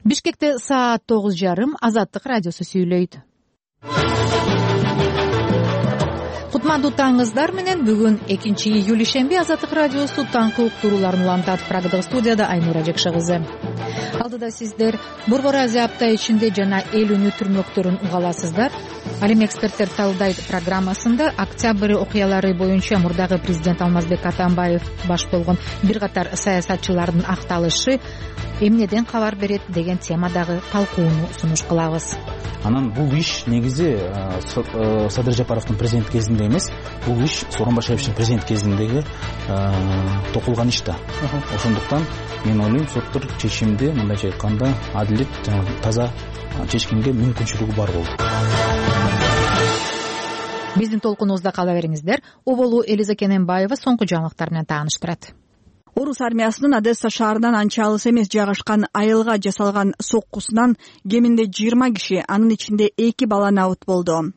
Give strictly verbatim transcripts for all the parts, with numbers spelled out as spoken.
Бишкекте саат тогуз жарым. Азаттык радиосу сүйлөйт. Кутмандуу таңыңыздар менен. Бүгүн экинчи июль ишемби. Азаттык радиосу таңкы уктурууларын улантат. Прагадагы студияда Айнура Жекше кызы. Алдыда сиздер Борбор Азия апта ичинде жана эл үнү түрмөктөрүн уга аласыздар. Ал эми эксперттер талдайт программасында октябрь окуялары боюнча мурдагы президент Алмазбек Атамбаев баш болгон бир катар саясатчылардын акталышы эмнеден кабар берет деген темадагы талкууну сунуш кылабыз. Анан бул иш негизи Садыр Жапаровдун президент кезинде эмес, бул иш Сооронбай Шариповичтин президент кезиндеги токулган иш да. Ошондуктан мен ойлойм, соттор чечимди мындайча айтканда адилет жана таза чечкенге мүмкүнчүлүгү бар болду. Биздин толкунубузда кала бериңиздер. Оболу Элиза Кененбаева соңку жаңылыктар менен тааныштырат. Орус армиясынын Одесса шаарынан анча алыс эмес жайгашкан айылга жасалган соккусунан кеминде жыйырма киши, анын ичинде эки бала набыт болду.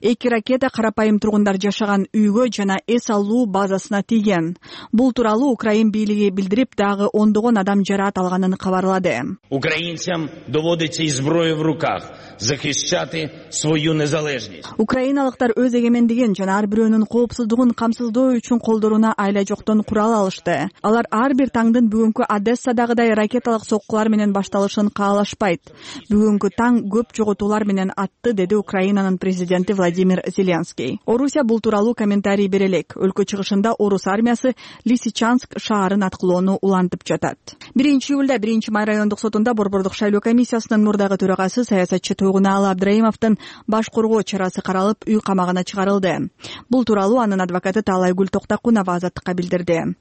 Эки ракета карапайым тургундар жашаган үйгө жана эс алуу базасына тийген. Бул тууралуу Украин бийлиги билдирип, дагы ондогон адам жараат алганын кабарлады. Украинцам доводится и зброя в руках захищати свою незалежность. Украиналыктар өз эгемендигин жана ар бирөөнүн коопсуздугун камсыздоо үчүн колдоруна айла жоктон курал алышты. Алар ар бир таңдын бүгүнкү Одессадагыдай ракеталык соккулар менен башталышын каалашпайт. Бүгүнкү таң көп жоготуулар менен атты, деди Украинанын президенти Владимир Зеленский. Орусия бул тууралуу комментарий бере элек. Өлкө чыгышында Орус армиясы Лисичанск шаарын аткылоону улантып жатат. биринчи июлда биринчи май райондук сотунда Борбордук шайлоо комиссиясынын мурдагы төрагасы саясатчы Тойгуналы Абдрайымовдун баш коргоо чарасы каралып, үй камагына чыгарылды. Бул тууралуу анын адвокаты Таалайгүл Токтакунова Азаттыкка билдирди.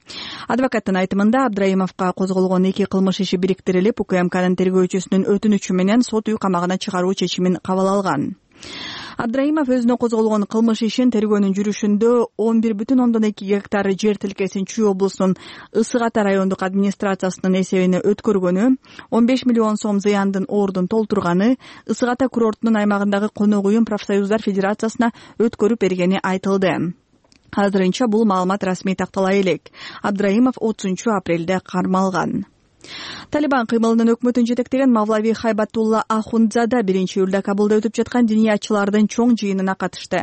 Адвокаттын айтымында Абдрайымовго козголгон эки кылмыш иши бириктирилип, УКМКнын тергөөчүсүнүн өтүнүчү менен сот үй камагына чыгаруу чечимин кабыл алган. Абдрайымов өзүнө козголгон кылмыш ишин тергөөнүн жүрүшүндө он бир бүтүн ондон эки гектар жер тилкесин Чүй облусунун Ысык Ата райондук администрациясынын эсебине өткөргөнү, он беш миллион сом зыяндын ордун толтурганы, Ысык Ата курортунун аймагындагы конок уюм профсоюздар федерациясына өткөрүп бергени айтылды. Азырынча бул маалымат расмий тактала элек. Абдрайымов отузунчу апрелде кармалган. Талибан кыймылынын өкмөтүн жетектеген Мавлави Хайбатулла Ахундзада биринчи июлда Кабулда өтүп жаткан диниячылардын чоң жыйынына катышты.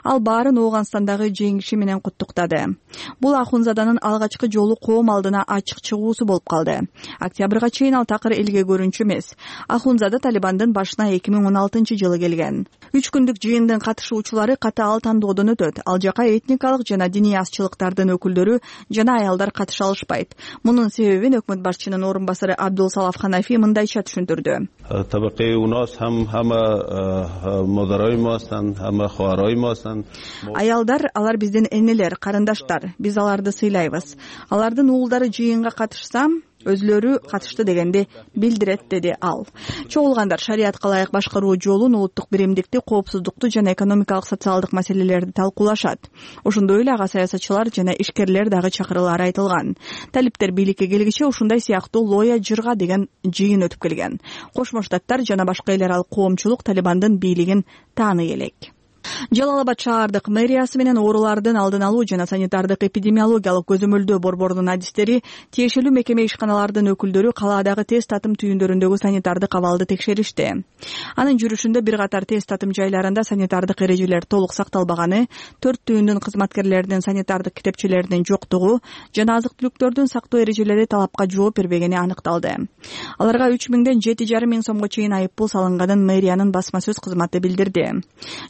Ал баарын Оогандстандагы жеңиши менен куттуктады. Бул Ахундзаданын алгачкы жолу коом алдына ачык чыгуусу болуп калды. Октябрга чейин ал такыр элге көрүнчү эмес. Ахундзада Талибандын башына эки миң он алтынчы жылы келген. Үч күндүк жыйындын катышуучулары катаал тандоодон өтөт. Ал жака этникалык жана диний азчылыктардын өкүлдөрү жана аялдар катыша алышпайт. Мунун себебин өкмөт башчынын орун басары Абдул Салаф Ханафи мындайча түшүндүрдү. Табакы у нас хам хама модарой мастан, хама хуарой мастан. Аялдар, алар биздин энелер, карындаштар. Биз аларды сыйлайбыз. Алардын уулдары жыйынга катышса, өзлөрү катышты дегенди билдирет, деди ал. Чогулгандар шариатка ылайык башкаруу жолун, улуттук биримдикти, коопсуздукту жана экономикалык социалдык маселелерди талкуулашат. Ошондой эле ага саясатчылар жана ишкерлер дагы чакырылары айтылган. Талиптер бийликке келгиче ушундай сыяктуу лоя жырга деген жыйын өтүп келген. Кошмо Штаттар жана башка эл аралык коомчулук Талибандын бийлигин тааный элек. Жалалабад шаардык мэриясы менен оорулардын алдын алуу жана санитардык эпидемиологиялык көзөмөлдөө борборунун адистери, тиешелүү мекеме ишканалардын өкүлдөрү калаадагы тест татым түйүндөрүндөгү санитардык абалды текшеришти. Анын жүрүшүндө бир катар тест татым жайларында санитардык эрежелер толук сакталбаганы, төрт түйүндүн кызматкерлеринин санитардык китепчелеринин жоктугу жана азык-түлүктөрдүн сактоо эрежелери талапка жооп бербегени аныкталды. Аларга үч миңден жети жарым миң сомго чейин айыппул салынганын мэриянын басма сөз кызматы билдирди.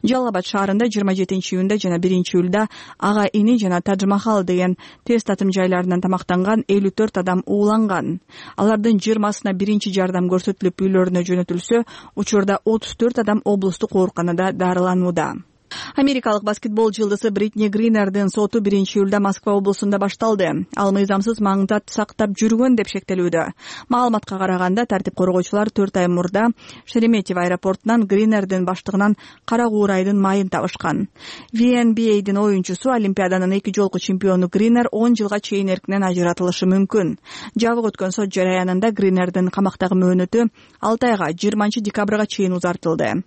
Жалалабад шаарында жыйырма жетинчи июнда жана биринчи июлда Ага Ини жана Тадж Махал деген тест татым жайларынан тамактанган элүү төрт адам ууланган. Алардын жыйырмасына биринчи жардам көрсөтүлүп үйлөрүнө жөнөтүлсө, учурда отуз төрт адам облустук ооруканада дарыланууда. Америкалык баскетбол жылдызы Бритни Гринердин соту биринчи июлда Москва облусунда башталды. Ал мыйзамсыз маңдат сактап жүргөн деп шектелүүдө. Маалыматка караганда, тартип коргоочулар төрт ай мурда Шереметьево аэропортунан Гринердин баштыгынан кара куурайдын майын табышкан. ви эн би эйдин оюнчусу, Олимпиаданын эки жолку чемпиону Гринер он жылга чейин эркинен ажыратылышы мүмкүн. Жабык өткөн сот жараянында Гринердин камактагы мөөнөтү алты айга жыйырманчы декабрга чейин узартылды.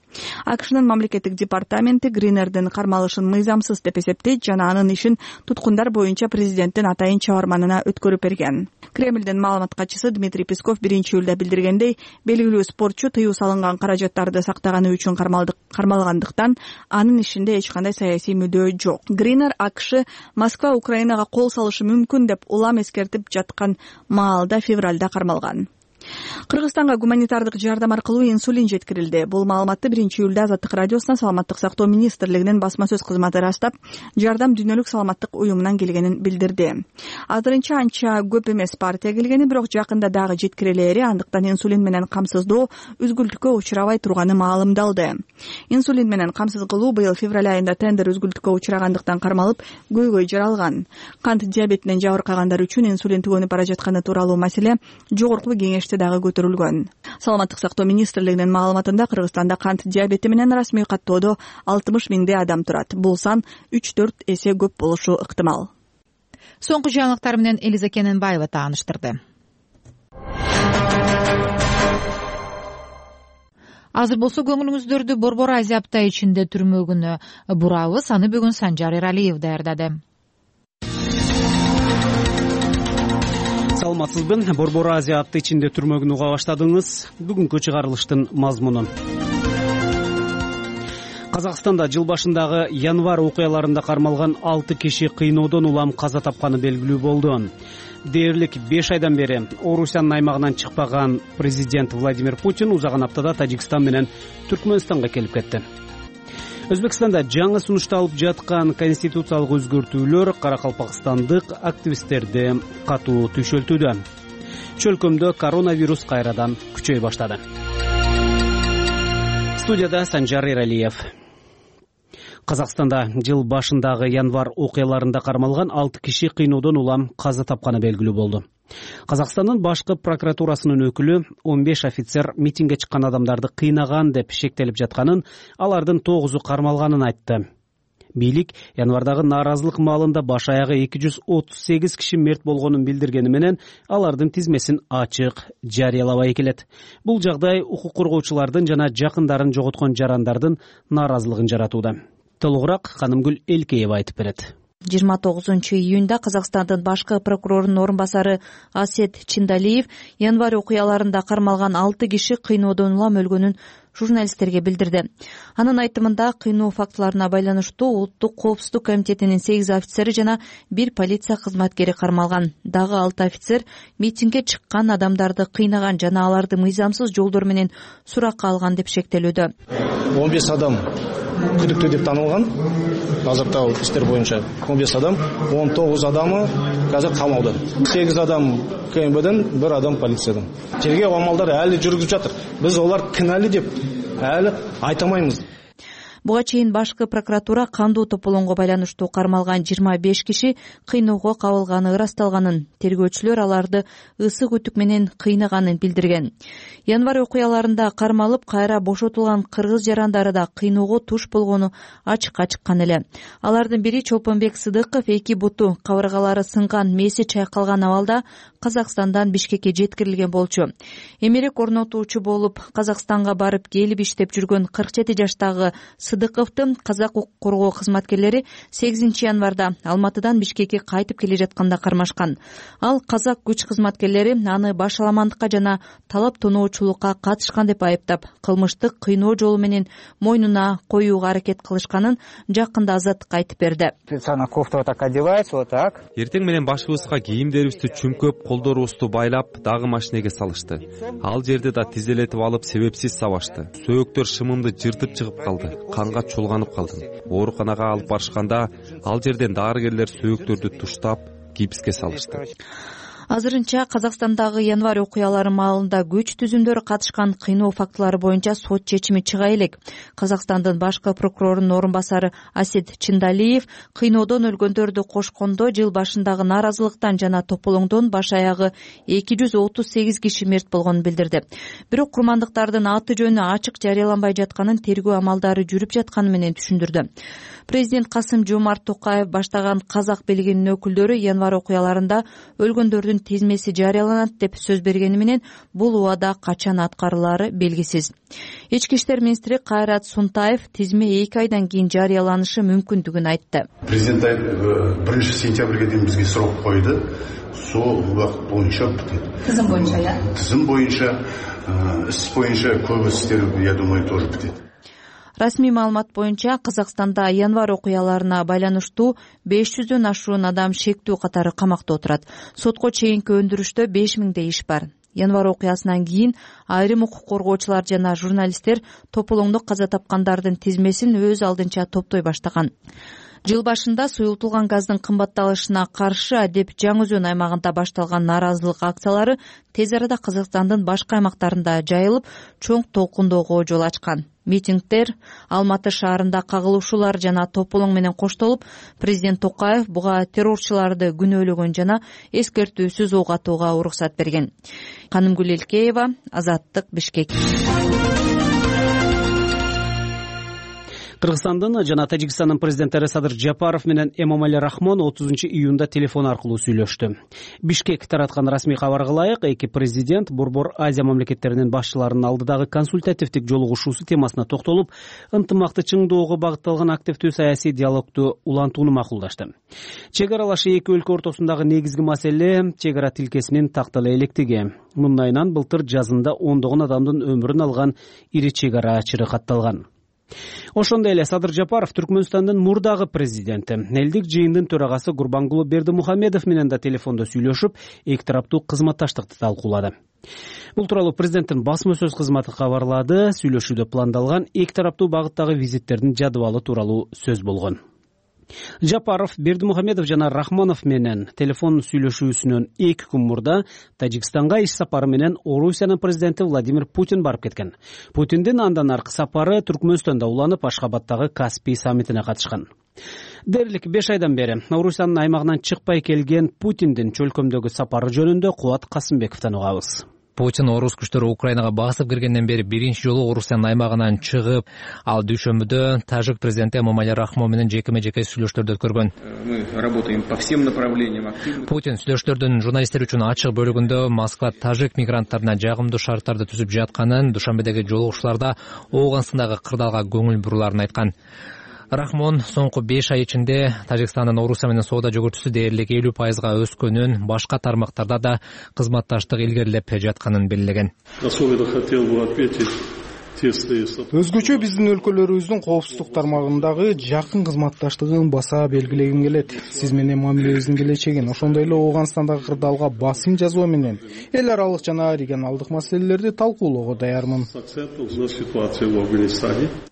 АКШнын мамлекеттик департаменти Гринердин кармалышын мыйзамсыз деп эсептейт жана анын ишин туткундар боюнча президенттин атайын чабарманына өткөрүп берген. Кремлдин маалымат катчысы Дмитрий Песков биринчи июлда билдиргендей, белгилүү спортчу тыюу салынган каражаттарды сактаганы үчүн кармалгандыктан анын ишинде эч кандай саясий мүдөө жок. Гринер АКШ Москва Украинага кол салышы мүмкүн деп улам эскертип жаткан маалда февралда кармалган. Кыргызстанга гуманитардык жардам аркылуу инсулин жеткирилди. Бул маалыматты биринчи июлда Азаттык радиосуна Саламаттык сактоо министрлигинин басма сөз кызматы ырастап, жардам Дүйнөлүк саламаттык уюмунан келгенин билдирди. Азырынча анча көп эмес партия келгени, бирок жакында дагы жеткирилери, андыктан инсулин менен камсыздоо үзгүлтүккө учурабай турганы маалымдалды. Инсулин менен камсыз кылуу быйыл февраль айында тендер үзгүлтүккө учурагандыктан кармалып, көйгөй жаралган. Кант диабетинен жабыркагандар үчүн инсулин түгөнүп бара жатканы тууралуу маселе жогорку кеңеште дагы көтөрүлгөн. Саламаттык сактоо министрлигинин маалыматында Кыргызстанда кант диабети менен расмий каттоодо алтымыш миңдей адам турат. Бул сан үч төрт эсе көп болушу ыктымал. Соңку жаңылыктар менен Элиза Кененбаева тааныштырды. Азыр болсо көңүлүңүздөрдү Борбор Азия апта ичинде түрмөгүнө бурабыз. Аны бүгүн Санжар Эралиев даярдады. Саламатсызбы? Борбор Азия апта ичинде түрмөгүн уга баштадыңыз. Бүгүнкү чыгарылыштын мазмунун. Казакстанда жыл башындагы январь окуяларында кармалган алты киши кыйноодон улам каза тапканы белгилүү болду. Дээрлик беш айдан бери Орусиянын аймагынан чыкпаган президент Владимир Путин узаган аптада Тажикстан менен Түркмөнстанга келип кетти. Өзбекстанда жаңы сунушталып жаткан конституциялык өзгөртүүлөр каракалпакстандык активисттерди катуу түйшөлтүүдө. Чөлкөмдө коронавирус кайрадан күчөй баштады. Студияда Санжар Эралиев. Казакстанда жыл башындагы январь окуяларында кармалган алты киши кыйноодон улам каза тапканы белгилүү болду. Казакстандын башкы прокуратурасынын өкүлү он беш офицер митингге чыккан адамдарды кыйнаган деп шектелип жатканын, алардын тогузу кармалганын айтты. Бийлик январдагы нааразылык маалында баш аягы эки жүз отуз сегиз киши мерт болгонун билдиргени менен алардын тизмесин ачык жарыялабай келет. Бул жагдай укук коргоочулардын жана жакындарын жоготкон жарандардын нааразылыгын жаратууда. Толугураак Канымгүл Элкеева айтып берет. жыйырма тогузунчу июнда Казакстандын башкы прокурорунун орун басары Асет Чиндалиев январь окуяларында кармалган алты киши кыйноодон улам өлгөнүн журналисттерге билдирди. Анын айтымында кыйноо фактыларына байланыштуу Улуттук коопсуздук комитетинин сегиз офицери жана бир полиция кызматкери кармалган. Дагы алты офицер митингге чыккан адамдарды кыйнаган жана аларды мыйзамсыз жолдор менен суракка алган деп шектелүүдө. он беш адам күдүктүү деп танылган. Азыркы иштер боюнча он беш адам, он тогуз адамы азыр камауда. сегиз адам КМБден, бир адам полициядан. Тергөө амалдары әлі жүргүзүп жатыр. Биз олар кінәлі деп әлі айта алмаймыз. Буга чейин башкы прокуратура кандуу тополоңго байланыштуу кармалган жыйырма беш киши кыйноого кабылганы ырасталганын, тергөөчүлөр аларды ысык үтүк менен кыйнаганын билдирген. Январь окуяларында кармалып кайра бошотулган кыргыз жарандары да кыйноого туш болгону ачыкка чыккан эле. Алардын бири Чолпонбек Сыдыков эки буту кабыргалары сынган, меси чайкалган абалда Казакстандан Бишкекке жеткирилген болчу. Эмерек орнотуучу болуп Казакстанга барып келип иштеп жүргөн кырк жети жаштагы Сыдыковду казак укук коргоо кызматкерлери сегизинчи январда Алматыдан Бишкекке кайтып келе жатканда кармашкан. Ал казак күч кызматкерлери аны башаламандыкка жана талап тоноочулукка катышкан деп айыптап, кылмыштык кыйноо жолу менен мойнуна коюуга аракет кылышканын жакында Азаттыкка айтып берди. Кофта так одевается, вот так. Эртең менен башыбызга кийимдерибизди чүмкөп, колдорубузду байлап, дагы машинеге салышты. Ал жерде да тизелетип алып, себепсиз сабашты. Сөөктөр шымымды жыртып чыгып калды. Канга чулганып калдым. Ооруканага алып барышканда ал жерден дарыгерлер сөөктөрдү туштап, гипске салышты. Азырынча Казакстандагы январь окуялары маалында күч түзүмдөрү катышкан кыйноо фактылары боюнча сот чечими чыга элек. Казакстандын башкы прокурорунун орун басары Асет Чиндалиев кыйноодон өлгөндөрдү кошкондо жыл башындагы нааразылыктан жана тополоңдон баш аягы эки жүз отуз сегиз киши мерт болгонун билдирди. Бирок курмандыктардын аты жөнү ачык жарыяланбай жатканын, тергөө амалдары жүрүп жатканы менен түшүндүрдү. Президент Касым Жомарт Токаев баштаган казак бийлигинин өкүлдөрү январь окуяларында өлгөндөрдүн тизмеси жарыяланат деп сөз бергени менен бул убада качан аткарылаары белгисиз. Ички иштер министри Кайрат Сунтаев тизме эки айдан кийин жарыяланышы мүмкүндүгүн айтты. Президент биринчи сентябрга дейин бизге срок койду. Сол убакыт боюнча бүтөт. Тизим боюнча, я? Тизим боюнча, иш боюнча көп иштер, я думаю, тоже бүтөт. Расмий маалымат боюнча Казакстанда январь окуяларына байланыштуу беш жүздөн ашуун адам шектүү катары камакта отурат. Сотко чейинки өндүрүштө беш миңдей иш бар. Январь окуясынан кийин айрым укук коргоочулар жана журналисттер тополоңдо каза тапкандардын тизмесин өз алдынча топтой баштаган. Жыл башында суюлтулган газдын кымбатталышына каршы Адеп Жаңы Өзөн аймагында башталган нааразылык акциялары тез арада Казакстандын башка аймактарында жайылып, чоң толкундоого жол ачкан. Митингдер Алматы шаарында кагылышуулар жана тополоң менен коштолуп, президент Токаев буга террорчуларды күнөөлөгөн жана эскертүүсүз ок атууга уруксат берген. Канымгүл Элкеева, Азаттык, Бишкек. Кыргызстандын жана Тажикстандын президенттери Садыр Жапаров менен Эмомали Рахмон отузунчу июнда телефон аркылуу сүйлөштү. Бишкек тараткан расмий кабарга ылайык, эки президент Борбор Азия мамлекеттеринин башчыларынын алдыдагы консультативдик жолугушуусу темасына токтолуп, ынтымакты чыңдоого багытталган активдүү саясий диалогду улантууну макулдашты. Чек аралаш эки өлкө ортосундагы негизги маселе чек ара тилкесинин тактала электиги. Мындайынан былтыр жазында ондогон адамдын өмүрүн алган ири чек ара чыры катталган. Ошондой эле Садыр Жапаров Түркмөнстандын мурдагы президенти, элдик жыйындын төрагасы Гурбангулы Бердимухамедов менен да телефондо сүйлөшүп, эки тараптуу кызматташтыкты талкуулады. Бул тууралуу президенттин басма сөз кызматы кабарлады. Сүйлөшүүдө пландалган эки тараптуу багыттагы визиттердин жадыбалы тууралуу сөз болгон. Жапаров, Бердимухамедов жана Рахмонов менен телефон сүйлөшүүсүнөн эки күн мурда Тажикстанга иш сапары менен Орусиянын президенти Владимир Путин барып кеткен. Путиндин андан аркы сапары Түркмөнстанда уланып, Ашхабадтагы Каспий саммитине катышкан. Дээрлик беш айдан бери Орусиянын аймагынан чыкпай келген Путиндин чөлкөмдөгү сапары жөнүндө Кубат Касымбековдон угабыз. Путин орус күчтөрү Украинага басып киргенден бери биринчи жолу Орусиянын аймагынан чыгып, ал дүйшөмбүдө тажик президенти Эмомали Рахмон менен жекеме-жеке сүйлөштөрдү өткөргөн. Мы работаем по всем направлениям. Путин сүйлөштөрдүн журналисттер үчүн ачык бөлүгүндө Москва тажик мигранттарына жагымдуу шарттарды түзүп жатканын, Душанбедеги жолугушууларда Ооганстандагы кырдаалга көңүл бурууларын айткан. Рахмон соңку беш ай ичинде Тажикстандын Орусия менен соода жүгүртүүсү дээрлик элүү пайызга өскөнүн, башка тармактарда да кызматташтык илгерилеп жатканын белгилеген. Өзгөчө биздин өлкөлөрүбүздүн коопсуздук тармагындагы жакын кызматташтыгын баса белгилегим келет. Сиз менен мамилебиздин келечегин, ошондой эле Ооганстандагы кырдаалга басым жасоо менен эл аралык жана регионалдык маселелерди талкуулоого даярмын.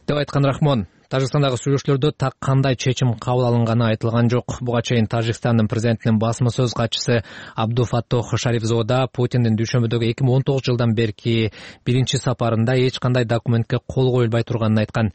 Деп айткан Рахмон. Тажикстандагы сүйлөшүүлөрдө так кандай чечим кабыл алынганы айтылган жок. Буга чейин Тажикстандын президентинин басма сөз катчысы Абдуфаттох Шарифзода Путиндин дүйшөмбүдөгү эки миң он тогузунчу жылдан берки биринчи сапарында эч кандай документке кол коюлбай турганын айткан.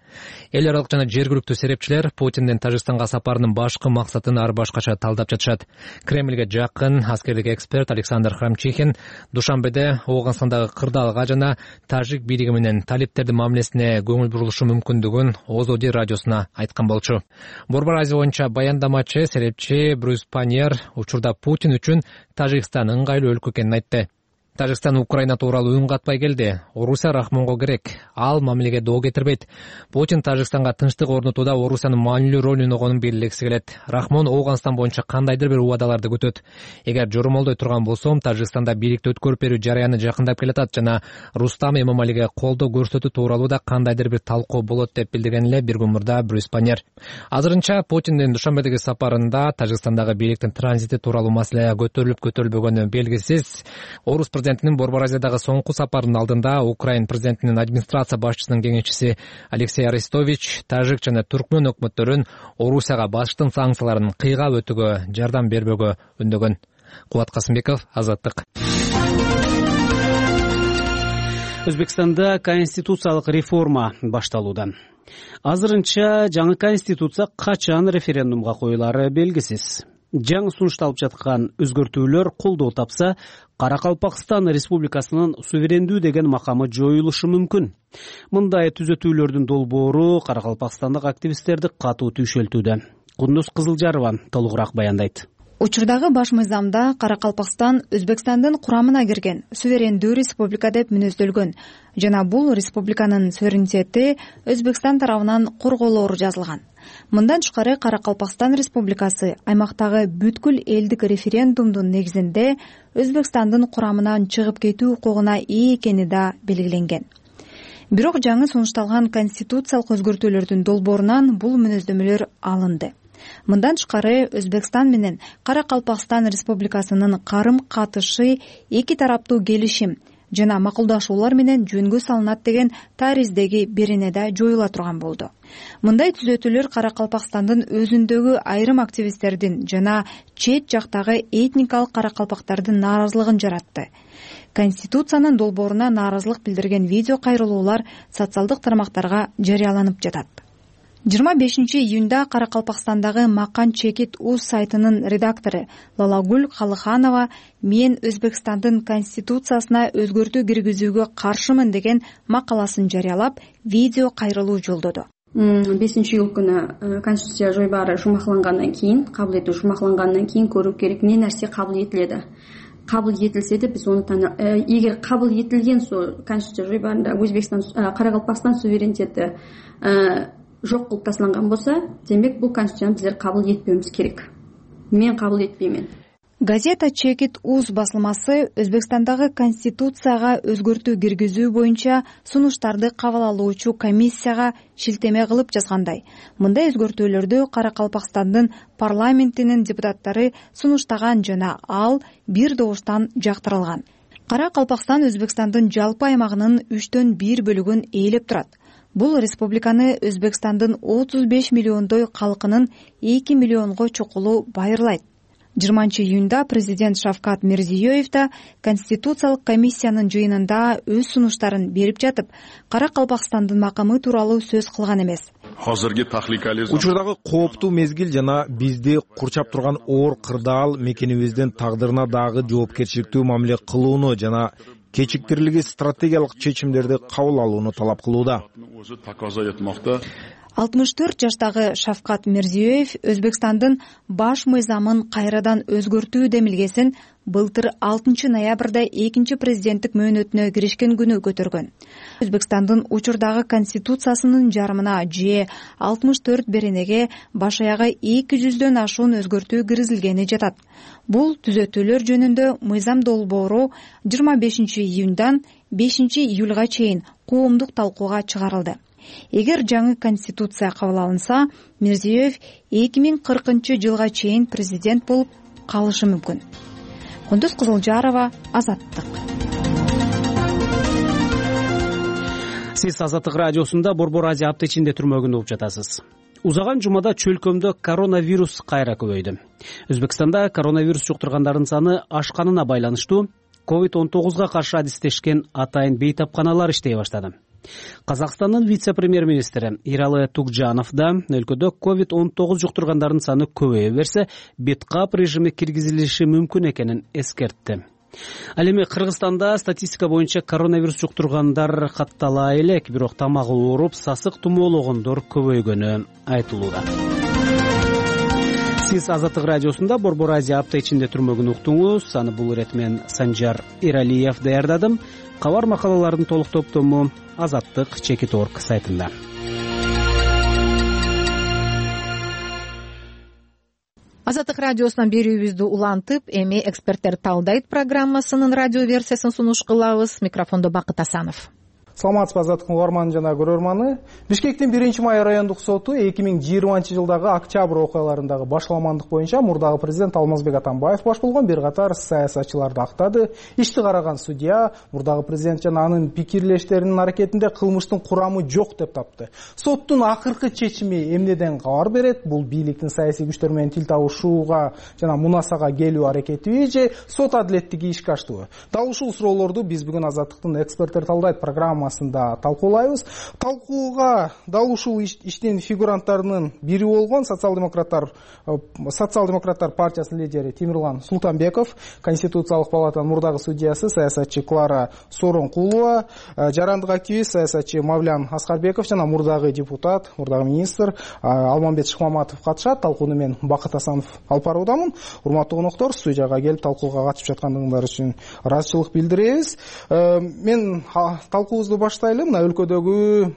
Эл аралык жана жергиликтүү серепчилер Путиндин Тажикстанга сапарынын башкы максатын ар башкача талдап жатышат. Кремльге жакын аскердик эксперт Александр Храмчихин Душанбеде Ооганстандагы кырдаалга жана тажик бийлиги менен талиптердин мамилесине көңүл бурулушу мүмкүндүгүн Озоди радиосуна айткан болчу. Борбор Азия боюнча баяндамачы серепчи Брюс Паньер учурда Путин үчүн Тажикстан ыңгайлуу өлкө экенин айтты. Тажикстан Украина тууралуу үн катпай келди. Орусия Рахмонго керек. Ал мамилеге доо кетирбейт. Путин Тажикстанга тынчтык орнотууда Орусиянын маанилүү ролун ойногонун белгилегиси келет. Рахмон Ооганстан боюнча кандайдыр бир убадаларды күтөт. Эгер жоромолдой турган болсом, Тажикстанда бийликти өткөрүп берүү жараяны жакындап келатат жана Рустам Эмомалиге колдоо көрсөтүү тууралуу да кандайдыр бир талкуу болот деп билдирген эле бир күн мурда Брюс Паньер. Азырынча Путиндин Душанбедеги сапарында Тажикстандагы бийликтин транзити тууралуу маселе көтөрүлүп көтөрүлбөгөнү белгисиз. Орус президентинин Борбор Азиядагы соңку сапарынын алдында Украин президентинин администрация башчысынын кеңешчиси Алексей Арестович тажик жана түркмөн өкмөттөрүн Орусияга башкы санкцияларын кыйгап өтүүгө жардам бербөөгө үндөгөн. Кубат Касымбеков, Азаттык. Өзбекстанда конституциялык реформа башталууда. Азырынча жаңы конституция качан референдумга коюлаары белгисиз. Жаңы сунушталып жаткан өзгөртүүлөр колдоо тапса, Каракалпакстан Республикасынын суверендүү деген макамы жоюлушу мүмкүн. Мындай түзөтүүлөрдүн долбоору Каракалпакстандык активисттерди катуу түйшөлтүүдө. Кундуз Кызылжарова толугураак баяндайт. Учурдагы баш мыйзамда Каракалпакстан Өзбекстандын курамына кирген суверендүү республика деп мүнөздөлгөн жана бул республиканын суверенитети Өзбекстан тарабынан корголоору жазылган. Мындан тышкары Каракалпакстан республикасы аймактагы бүткүл элдик референдумдун негизинде Өзбекстандын курамынан чыгып кетүү укугуна ээ экени да белгиленген. Бирок жаңы сунушталган конституциялык өзгөртүүлөрдүн долбоорунан бул мүнөздөмөлөр алынды. Мындан тышкары Өзбекстан менен Каракалпакстан республикасынын карым-катышы эки тараптуу келишим жана макулдашуулар менен жөнгө салынат деген тариздеги берене да жоюла турган болду. Мындай түзөтүүлөр Каракалпакстандын өзүндөгү айрым активисттердин жана чет жактагы этникалык каракалпактардын нааразылыгын жаратты. Конституциянын долбооруна нааразылык билдирген видео кайрылуулар социалдык тармактарга жарыяланып жатат. жыйырма бешинчи июнда Каракалпакстандагы Макан Чекит Уз сайтынын редактору Лалагүл Калыханова мен Өзбекстандын конституциясына өзгөртүү киргизүүгө каршымын деген макаласын жарыялап, видео кайрылуу жолдоду. бешинчи июль күнү конституция жойбаары жумаклангандан кийин, кабыл этүү жумаклангандан кийин көрүү керек эмне нерсе кабыл этиледи. Кабыл этилсе да биз аны эгер кабыл этилген сол конституция жойбаарында Өзбекстан Каракалпакстан суверенитети жок кылып ташталган болсо, демек бул конституцияны биздер кабыл этпөөбүз керек. Мен кабыл этпеймин. Газета Чекит Уз басылмасы Өзбекстандагы конституцияга өзгөртүү киргизүү боюнча сунуштарды кабыл алуучу комиссияга шилтеме кылып жазгандай, мындай өзгөртүүлөрдү Каракалпакстандын парламентинин депутаттары сунуштаган жана ал бир добуштан жактырылган. Каракалпакстан Өзбекстандын жалпы аймагынын үчтөн бир бөлүгүн ээлеп турат. Бул республиканы Өзбекстандын отуз беш миллиондой калкынын эки миллионго чукулу байырлайт. жыйырманчы июнда президент Шавкат Мирзиёев да Конституциялык комиссиянын жыйынында өз сунуштарын берип жатып, Каракалпакстандын макамы тууралуу сөз кылган эмес. Учурдагы кооптуу мезгил жана бизди курчап турган оор кырдаал мекенибиздин тагдырына дагы жоопкерчиликтүү мамиле кылууну жана кечиктирилги стратегиялык чечимдерди кабыл алууну талап кылууда. алтымыш төрт жаштагы Шавкат Мирзиёев Өзбекстандын баш мыйзамын кайрадан өзгөртүү демилгесин былтыр алтынчы ноябрда экинчи президенттик мөөнөтүнө киришкен күнү көтөргөн. Өзбекстандын учурдагы конституциясынын жарымына же алтымыш төрт беренеге баш аягы эки жүздөн ашуун өзгөртүү киргизилгени жатат. Бул түзөтүүлөр жөнүндө мыйзам долбоору жыйырма бешинчи июндан бешинчи июлга чейин коомдук талкууга чыгарылды. Эгер жаңы конституция кабыл алынса, Мирзиёев эки миң кыркынчы жылга чейин президент болуп калышы мүмкүн. Кундуз Кызылжарова, Азаттык. Сиз Азаттык радиосунда Борбор Азия апта ичинде түрмөгүндө угуп жатасыз. Узаган жумада чөлкөмдө коронавирус кайра көбөйдү. Өзбекстанда коронавирус жуктургандардын саны ашканына байланыштуу ковид он тогузга каршы адистешкен атайын бейтапканалар иштей баштады. Казакстандын вице-премьер-министри Иралы Тугжанов да өлкөдө ковид он тогуз жуктургандардын саны көбөйө берсе, беткап режими киргизилиши мүмкүн экенин эскертти. Ал эми Кыргызстанда статистика боюнча коронавирус жуктургандар каттала элек, бирок тамагы ооруп, сасык тумоологондор көбөйгөнү айтылууда. Сиз Азаттык радиосунда Борбор Азия апта ичинде түрмөгүн уктуңуз. Аны бул ирет мен Санжар Иралиев даярдадым. Кабар макалалардын толук топтому Азаттык чекит точка орг сайтында. Азаттык радиосунан берүүбүздү улантып, эми эксперттер талдайт программасынын радио версиясын сунуш кылабыз. Микрофондо Бакыт Асанов. Саламатсызбы Азаттыктын угарманы жана көрөрманы. Бишкектин биринчи май райондук соту эки миң жыйырманчы жылдагы октябрь окуяларындагы башаламандык боюнча мурдагы президент Алмазбек Атамбаев баш болгон бир катар саясатчыларды актады. Ишти караган судья мурдагы президент жана анын пикирлештеринин аракетинде кылмыштын курамы жок деп тапты. Соттун акыркы чечими эмнеден кабар берет? Бул бийликтин саясий күчтөр менен тил табышууга жана мунасага келүү аракетиби же сот адилеттиги ишке аштыбы? Дал ушул суроолорду биз бүгүн Азаттыктын эксперттер талдайт программа программасында талкуулайбыз. Талкууга дал ушул иштин фигуранттарынын бири болгон социал-демократтар социал-демократтар партиясынын лидери Темирлан Султанбеков, Конституциялык палатанын мурдагы судьясы саясатчы Клара Сооронкулова, жарандык активист саясатчы Мавлян Аскарбеков жана мурдагы депутат, мурдагы министр Алмамбет Шыкмаматов катышат. Талкууну мен Бакыт Асанов алып баруудамын. Урматтуу коноктор, студияга келип талкууга катышып жаткандыгыңар үчүн ыраазычылык билдиребиз. Мен талкуубузду баштайлы. Мына өлкөдөгү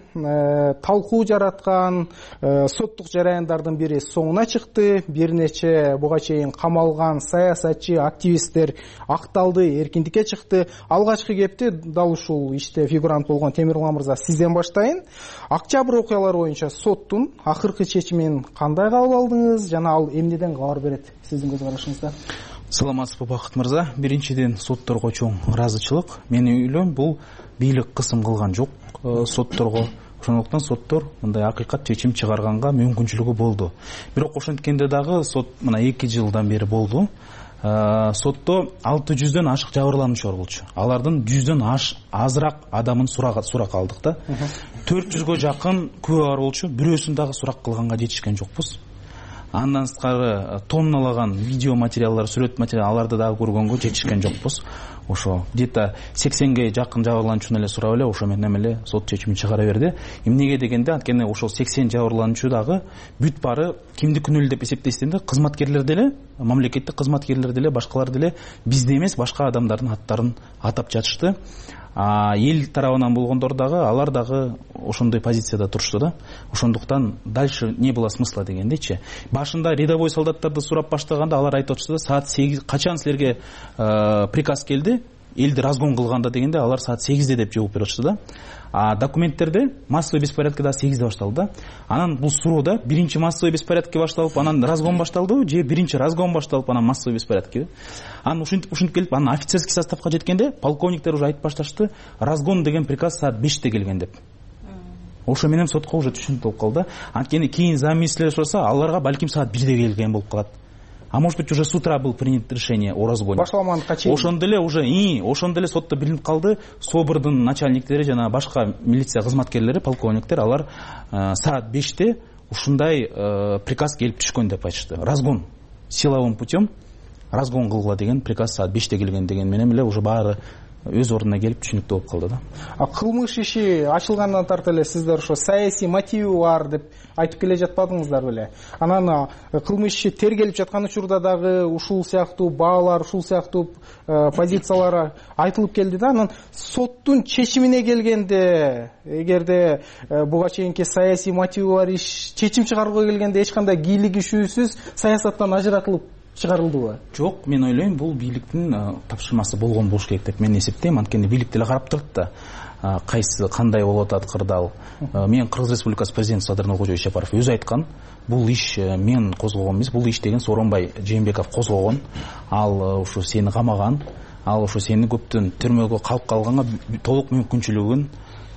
талкуу жараткан соттук жараяндардын бири соңуна чыкты. Бир нече буга чейин камалган саясатчы, активисттер акталды, эркиндикке чыкты. Алгачкы кепти дал ушул иште фигурант болгон Темирлан мырза, сизден баштайын. Октябрь окуялары боюнча соттун акыркы чечимин кандай кабыл алдыңыз жана ал эмнеден кабар берет сиздин көз карашыңызда? Саламатсызбы Бакыт мырза. Биринчиден сотторго чоң ыраазычылык. Менин ойлойм, бул бийлик кысым кылган жок сотторго. Ошондуктан соттор мындай акыйкат чечим чыгарганга мүмкүнчүлүгү болду. Бирок ошенткенде дагы сот мына эки жылдан бери болду. Сотто алты жүздөн ашык жабырлануучу бар болчу. Алардын жүздөн азыраак адамын сурак сурак алдык да. төрт жүзгө жакын күбө бар болчу. Бирөөсүн дагы сурак кылганга жетишкен жокпуз. Андан сырткары тонналаган видео материалдар, сүрөт материал аларды дагы көргөнгө жетишкен жокпуз. Ошо где-то сексенге жакын жабырлануучуну эле сурап эле ошо менен эле сот чечимин чыгара берди. Эмнеге дегенде, анткени ошол сексен жабырлануучу дагы бүт бары кимди күнөөлүү деп эсептейсиңер, кызматкерлер деле, мамлекеттик кызматкерлер деле, башкалар деле бизде эмес, башка адамдардын аттарын атап жатышты. Эл тарабынан болгондор дагы, алар дагы ошондой позицияда турушту да. Ошондуктан дальше не было смысла дегендейчи. Башында рядовой солдаттарды сурап баштаганда алар айтып атышты да, саат сегиз качан силерге приказ келди, элди разгон кылганда дегенде алар саат сегизде деп жооп берип атышты да. А документтерде массовый беспорядок да сегизде башталды да. Анан бул суроода биринчи массовый беспорядок башталып, анан разгон башталдыбы, же биринчи разгон башталып, анан массовый беспорядок. Анан ушинтип ушинтип келип, анан офицерский составка жеткенде полковниктер уже айтып башташты, разгон деген приказ саат беште келген деп. Ошо менен сотко уже түшүнүк болуп калды. Анткени кийин замминистрler сураса, аларга балким саат бирде келген болуп калат. А может быть, уже с утра был принято решение о разгоне. Башламан качей. Ошондо эле уже и ошондо эле сотто билинип калды, СОБРдын начальниктери жана башка милиция кызматкерлери, полковниктер, алар саат беште ушундай приказ келип түшкөн деп айтышты. Разгон силовым путем разгон кылгыла деген приказ саат беште келген деген менен эле уже баары өз ордуна келип түшүнүктүү болуп калды да. А кылмыш иши ачылгандан тартып эле сиздер ошо саясий мотиви бар деп айтып келе жатпадыңыздар беле? Анан кылмыш иши тергелип жаткан учурда дагы ушул сыяктуу баалар, ушул сыяктуу позициялар айтылып келди да. Анан соттун чечимине келгенде, эгерде буга чейинки саясий мотиви бар иш чечим чыгарууга келгенде эч кандай кийлигишүүсүз саясаттан ажыратылып чыгарылдыбы? Жок, мен ойлойм, бул бийликтин тапшырмасы болгон болуш керек деп мен эсептейм. Анткени бийлик деле карап турат да, кайсы кандай болуп атат кырдаал. Мен Кыргыз Республикасы президенти Садыр Нуркожоевич Ишапаров өзү айткан, бул иш мен козгогон эмес, бул иш деген Сооронбай Жээнбеков козгогон. Ал ушу сени камаган, ал ушу сени көптөн түрмөгө калып калганга толук мүмкүнчүлүгүн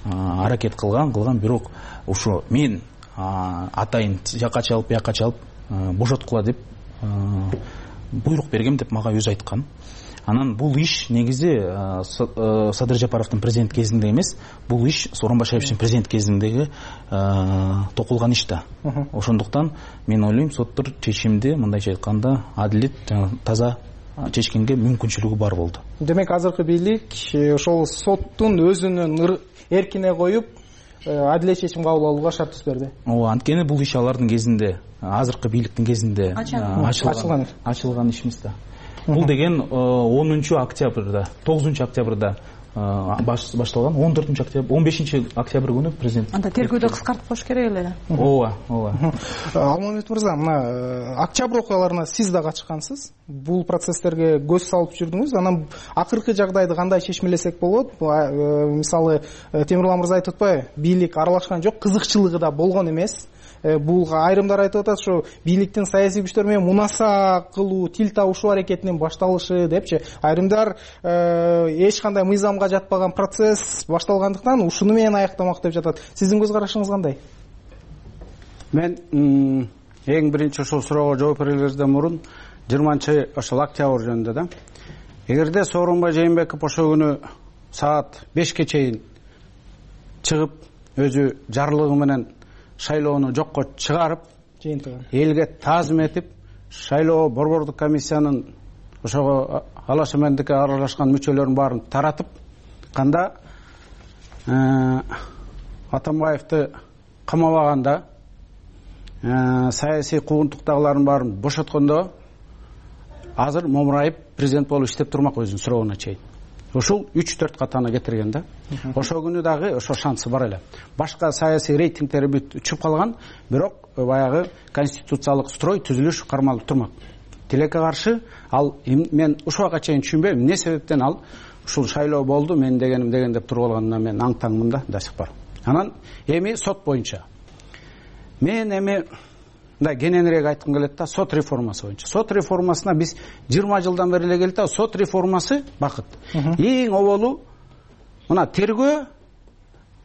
аракет кылган, кылган, бирок ушу мен атайын жакка чалып, бияка чалып бошоткула деп буйрук бергем деп мага өзү айткан. Анан бул иш негизи Садыр Жапаровдун президент кезинде эмес, бул иш Сооронбай Шариповичтин президент кезиндеги токулган иш да. Ошондуктан мен ойлойм, соттор чечимди мындайча айтканда адилет, таза чечкенге мүмкүнчүлүгү бар болду. Демек азыркы бийлик ошол соттун өзүнүн эркине коюп адилет чечим кабыл алууга шарт түз берди. Ооба, анткени бул иш алардын кезинде, азыркы бийликтин кезинде ачылган ачылган иш эмес да. Бул деген онунчу октябрда, тогузунчу октябрда башталган, он төртүнчү октябрь, он бешинчи октябрь күнү президент. Анда тергөөдө кыскартып коюш керек эле. Ооба, ооба. Алмамбет мырза, мына октябрь окуяларына сиз да катышкансыз. Бул процесстерге көз салып жүрдүңүз. Анан акыркы жагдайды кандай чечмелесек болот? Мисалы, Темирлан мырза айтып атпайбы? Бийлик аралашкан жок, кызыкчылыгы да болгон эмес. Бул айрымдар айтып атат, ушу бийликтин саясий күчтөр менен мунаса кылуу, тил табышуу аракетинин башталышы депчи. Айрымдар эч кандай мыйзамга жатпаган процесс башталгандыктан ушуну менен аяктамак деп жатат. Сиздин көз карашыңыз кандай? Мен эң биринчи ошол суроого жооп берерден мурун жыйырманчы ошол октябрь жөнүндө да. Эгерде Сооронбай Жээнбеков ошол күнү саат бешке чейин чыгып өзү жарлыгы менен шайлоону жокко чыгарып жыйынтыгы элге таазим этип шайлоо борбордук комиссиянын ошого алаш эмендикке аралашкан мүчөлөрүнүн баарын таратып канда Атамбаевди камабаганда саясий куугунтуктагылардын баарын бошоткондо азыр момурайып президент болуп иштеп турмак өзүнүн суроогуна чейин. Ушул үч төрт катаны кетирген да. Ошол күнү дагы ошо шансы бар эле. Башка саясий рейтингтери бүт учуп калган, бирок баягы конституциялык строй түзүлүш кармалып турмак. Тилекке каршы ал мен ушуга чейин түшүнбөйм эмне себептен ал ушул шайлоо болду, мен дегеним деген деп туруп алганына мен аң-таңмын да до сих пор. Анан эми сот боюнча мен эми да кененирээк айткым келет да, сот реформасы боюнча. Сот реформасына биз жыйырма жылдан бери эле келет да, сот реформасы бакыт. Эң оболу мына тергөө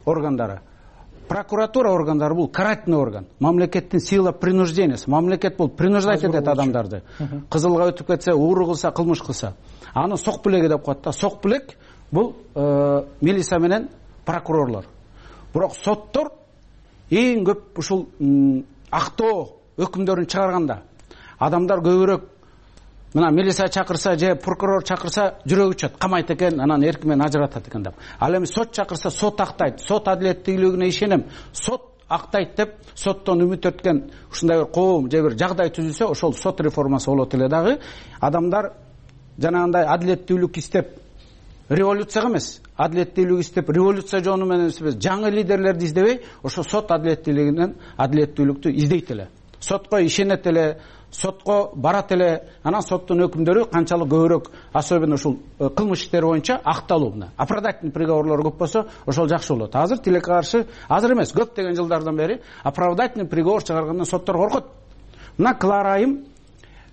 органдары, прокуратура органдары бул карательный орган. Мамлекеттин сила принуждениясы. Мамлекет бул принуждать этет адамдарды. Кызылга өтүп кетсе, ууру кылса, кылмыш кылса, аны сок билеги деп коет да. Сок билек бул милиция менен прокурорлор. Бирок соттор эң көп ушул актоо өкүмдөрүн чыгарганда адамдар көбүрөөк мына милиция чакырса же прокурор чакырса жүрөгү учат, камайт экен, анан эрки менен ажыратат экен деп. Ал эми сот чакырса сот актайт, сот адилеттүүлүгүнө ишенем, сот актайт деп соттон үмүт эткен ушундай бир коом же бир жагдай түзүлсө, ошол сот реформасы болот эле дагы. Адамдар жанагындай адилеттүүлүк истеп революцияга эмес, адилеттүүлүк истеп революция жолу менен эмес, жаңы лидерлерди издебей, ошо сот адилеттүүлүгүнөн адилеттүүлүктү издейт эле. Сотко ишенет эле, сотко барат эле, анан соттун өкүмдөрү канчалык көбүрөөк, особенно ушул кылмыш иштери боюнча акталуу, оправдательный приговорлор көп болсо, ошол жакшы болот. Азыр тилекке каршы, азыр эмес, көптөгөн жылдардан бери оправдательный приговор чыгаргандан соттор коркот. Мына Клара айым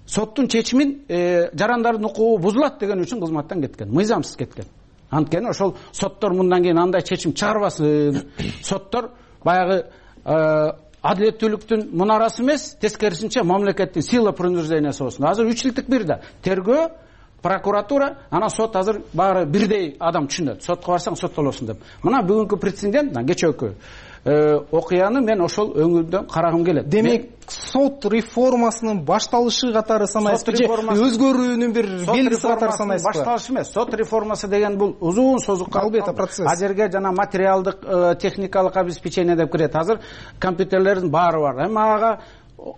соттун чечимин жарандардын укугу бузулат деген үчүн кызматтан кеткен, мыйзамсыз кеткен. Анткени ошол соттор мындан кийин андай чечим чыгарбасын. Соттор баягы адилеттүүлүктүн мунарасы эмес, тескерисинче мамлекеттин сила принуждениясы болсун. Азыр үч жылдык бир да тергөө, прокуратура, анан сот азыр баары бирдей адам түшүнөт. Сотко барсаң соттолосуң деп. Мына бүгүнкү прецедент, кечээкү окуяны мен ошол өңүрдөн карагым келет. Демек, сот реформасынын башталышы катары санайсызбы же өзгөрүүнүн бир белгиси катары санайсызбы? Башталышы эмес. Сот реформасы деген бул узун созукка албетте процесс. А жерге жана материалдык, техникалык обеспечение деп кирет. Азыр компьютерлердин баары бар. Эми ага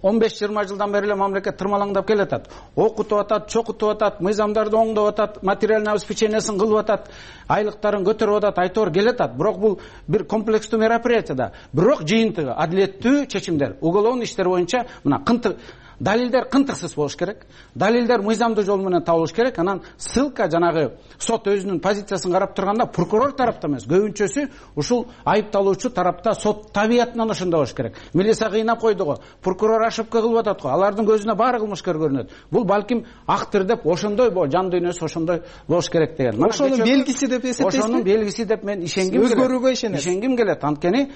он беш жыйырма жылдан бери эле мамлекет тырмалаңдап келатат. Окутуп атат, чокутуп атат, мыйзамдарды оңдоп атат, материальный обеспечениясын кылып атат, айлыктарын көтөрүп атат, айтор келатат. Бирок бул бир комплекстүү мероприятие да. Бирок жыйынтыгы адилеттүү чечимдер, уголовный иштер боюнча мына кынтык далилдер кынтыксыз болуш керек. Далилдер мыйзамдуу жол менен табылыш керек. Анан ссылка жанагы сот өзүнүн позициясын карап турганда прокурор тарапта эмес, көбүнчөсү ушул айыпталуучу тарапта сот табиятынан ошондой болуш керек. Милиция кыйнап койду го, прокурор ошибка кылып атат го, алардын көзүнө баары кылмышкер көрүнөт. Бул балким актыр деп ошондой жан дүйнөсү ошондой болуш керек деген. Ошонун белгиси деп эсептейсизби? Ошонун белгиси деп мен ишенгим келет. Өзгөрүүгө ишенет. Ишенгим келет. Анткени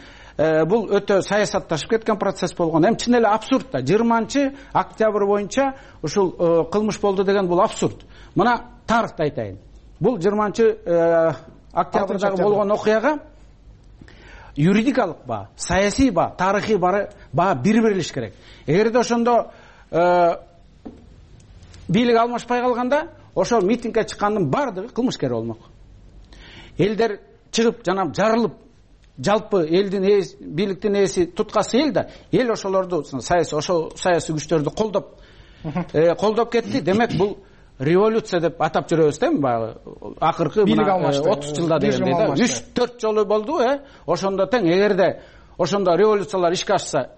бул өтө саясатташып кеткен процесс болгон. Эми чын эле абсурд да. жыйырманчы октябрь боюнча ушул кылмыш болду деген бул абсурд. Мына тарыхты айтайын. Бул жыйырманчы октябрдагы болгон окуяга юридикалык баа, саясий баа, тарыхый баа бир берилиш керек. Эгерде ошондо бийлик алмашпай калганда, ошол митингге чыккандын баардыгы кылмышкер болмок. Элдер чыгып жана жарылып, жалпы элдин ээси, бийликтин ээси туткасы эл да, эл ошолорду саясий ошол саясий күчтөрдү колдоп колдоп кетти. Демек бул революция деп атап жүрөбүз да, баягы акыркы отуз жылда дегендей да. үч төрт жолу болду, э ошондо тең. Эгерде ошондо революциялар ишке ашса,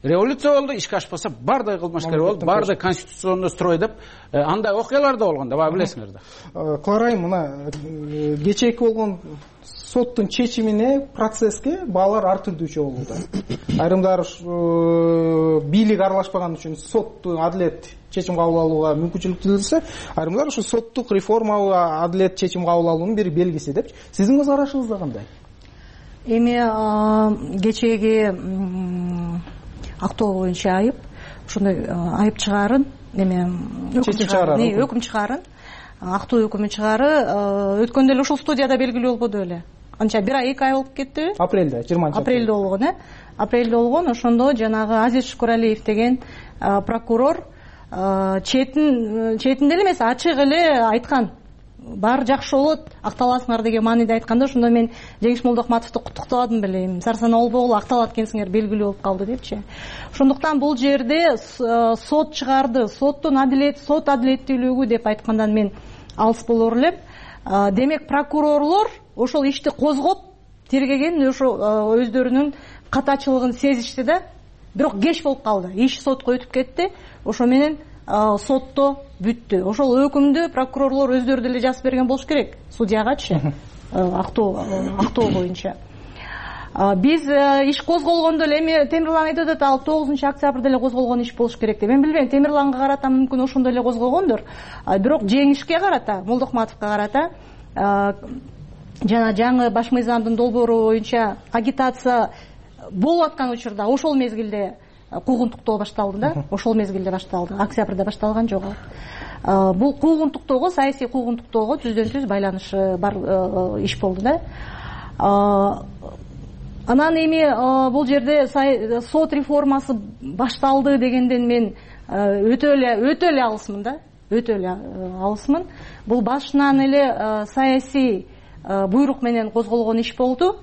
революция болду, ишке ашпаса баардыгы кылмышкер болду, баардыгы конституционный строй деп андай окуялар да болгон да, баа билесиңер да. Клара, мына кечээки болгон соттун чечимине, процесске баалар ар түрдүүчө болууда. Айрымдар бийлик аралашпаган үчүн соттун адилет чечим кабыл алууга мүмкүнчүлүк түзүлсө, айрымдар ушу соттук реформага адилет чечим кабыл алуунун бир белгиси деп. Сиздин көз карашыңызда кандай? Эми кечээги актоо боюнча айып, ошондой айып чыгарын, эми чечим чыгарын, өкүм чыгарын, актоо өкүмү чыгары өткөндө эле ушул студияда белгилүү болбоду беле? анча бир ай эки ай болуп кеттиби? Апрелде, жыйырманчы апрелде болгон, э? Апрелде болгон. Ошондо жанагы Азиз Шукуралиев деген прокурор четин четинде эле эмес, ачык эле айткан. Баары жакшы болот, акталасыңар деген мааниде айтканда, ошондо мен Жеңиш Молдохматовду куттуктабадым беле. Сарсана Олбогул акталат экенсиңер, белгилүү болуп калды депчи. Ошондуктан бул жерде сот чыгарды, соттун адилет, сот адилеттүүлүгү деп айткандан мен алыс болор элем. Демек прокурорлор ошол ишти козгоп, тергеген, ошо өздөрүнүн катачылыгын сезишти да, бирок кеч болуп калды. Иш сотко өтүп кетти. Ошо менен сотто бүттү. Ошол өкүмдү прокурорлор өздөрү деле жазып берген болуш керек судьягачы, актоо актоо боюнча. Биз иш козголгондо эле эми Темирлан айтып атат, ал тогузунчу октябрда эле козголгон иш болуш керек деп. Мен билбейм, Темирланга карата мүмкүн ошондо эле козголгондур. Бирок Жеңишке карата, Молдохматовго карата жана жаңы баш мыйзамдын долбоору боюнча агитация болуп аткан учурда ошол мезгилде куугунтуктоо башталды да, ошол мезгилде башталды. Октябрда башталган жок. Бул куугунтуктоого, саясий куугунтуктоого түздөн түз байланышы бар иш болду да. Анан эми бул жерде сот реформасы башталды дегенден мен өтө эле өтө эле алысмын да, өтө эле алысмын. Бул башынан эле саясий буйрук менен козголгон иш болду.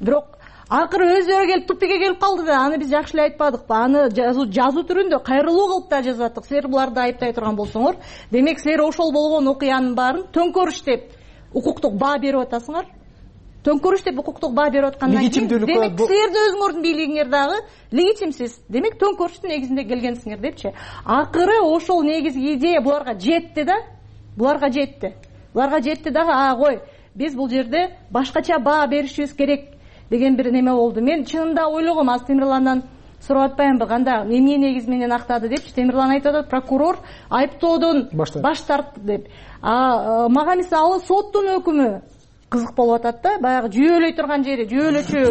Бирок акыры өздөрү келип тупикке келип калды да, аны биз жакшы эле айтпадыкпы? Аны жазуу түрүндө кайрылуу кылып да жазып аттык. Силер буларды айыптай турган болсоңор, демек силер ошол болгон окуянын баарын төңкөрүш деп укуктук баа берип атасыңар. Төңкөрүш деп укуктук баа берип аткандан кийин, демек силердин өзүңөрдүн бийлигиңер дагы легитимсиз. Демек төңкөрүштүн негизинде келгенсиңер депчи. Акыры ошол негизги идея буларга жетти да. Буларга жетти. Буларга жетти дагы, а кой, биз бул жерде башкача баа беришибиз керек деген бир неме болду. Мен чынында ойлогом, аз Темирландан сурап атпаймынбы, кандай эмне негиз менен актады депчи. Темирлан айтып атат, прокурор айыптоодон баш тартты деп. А мага мисалы соттун өкүмү кызык болуп атат да, баягы жүйөлөй турган жери, жүйөлөчү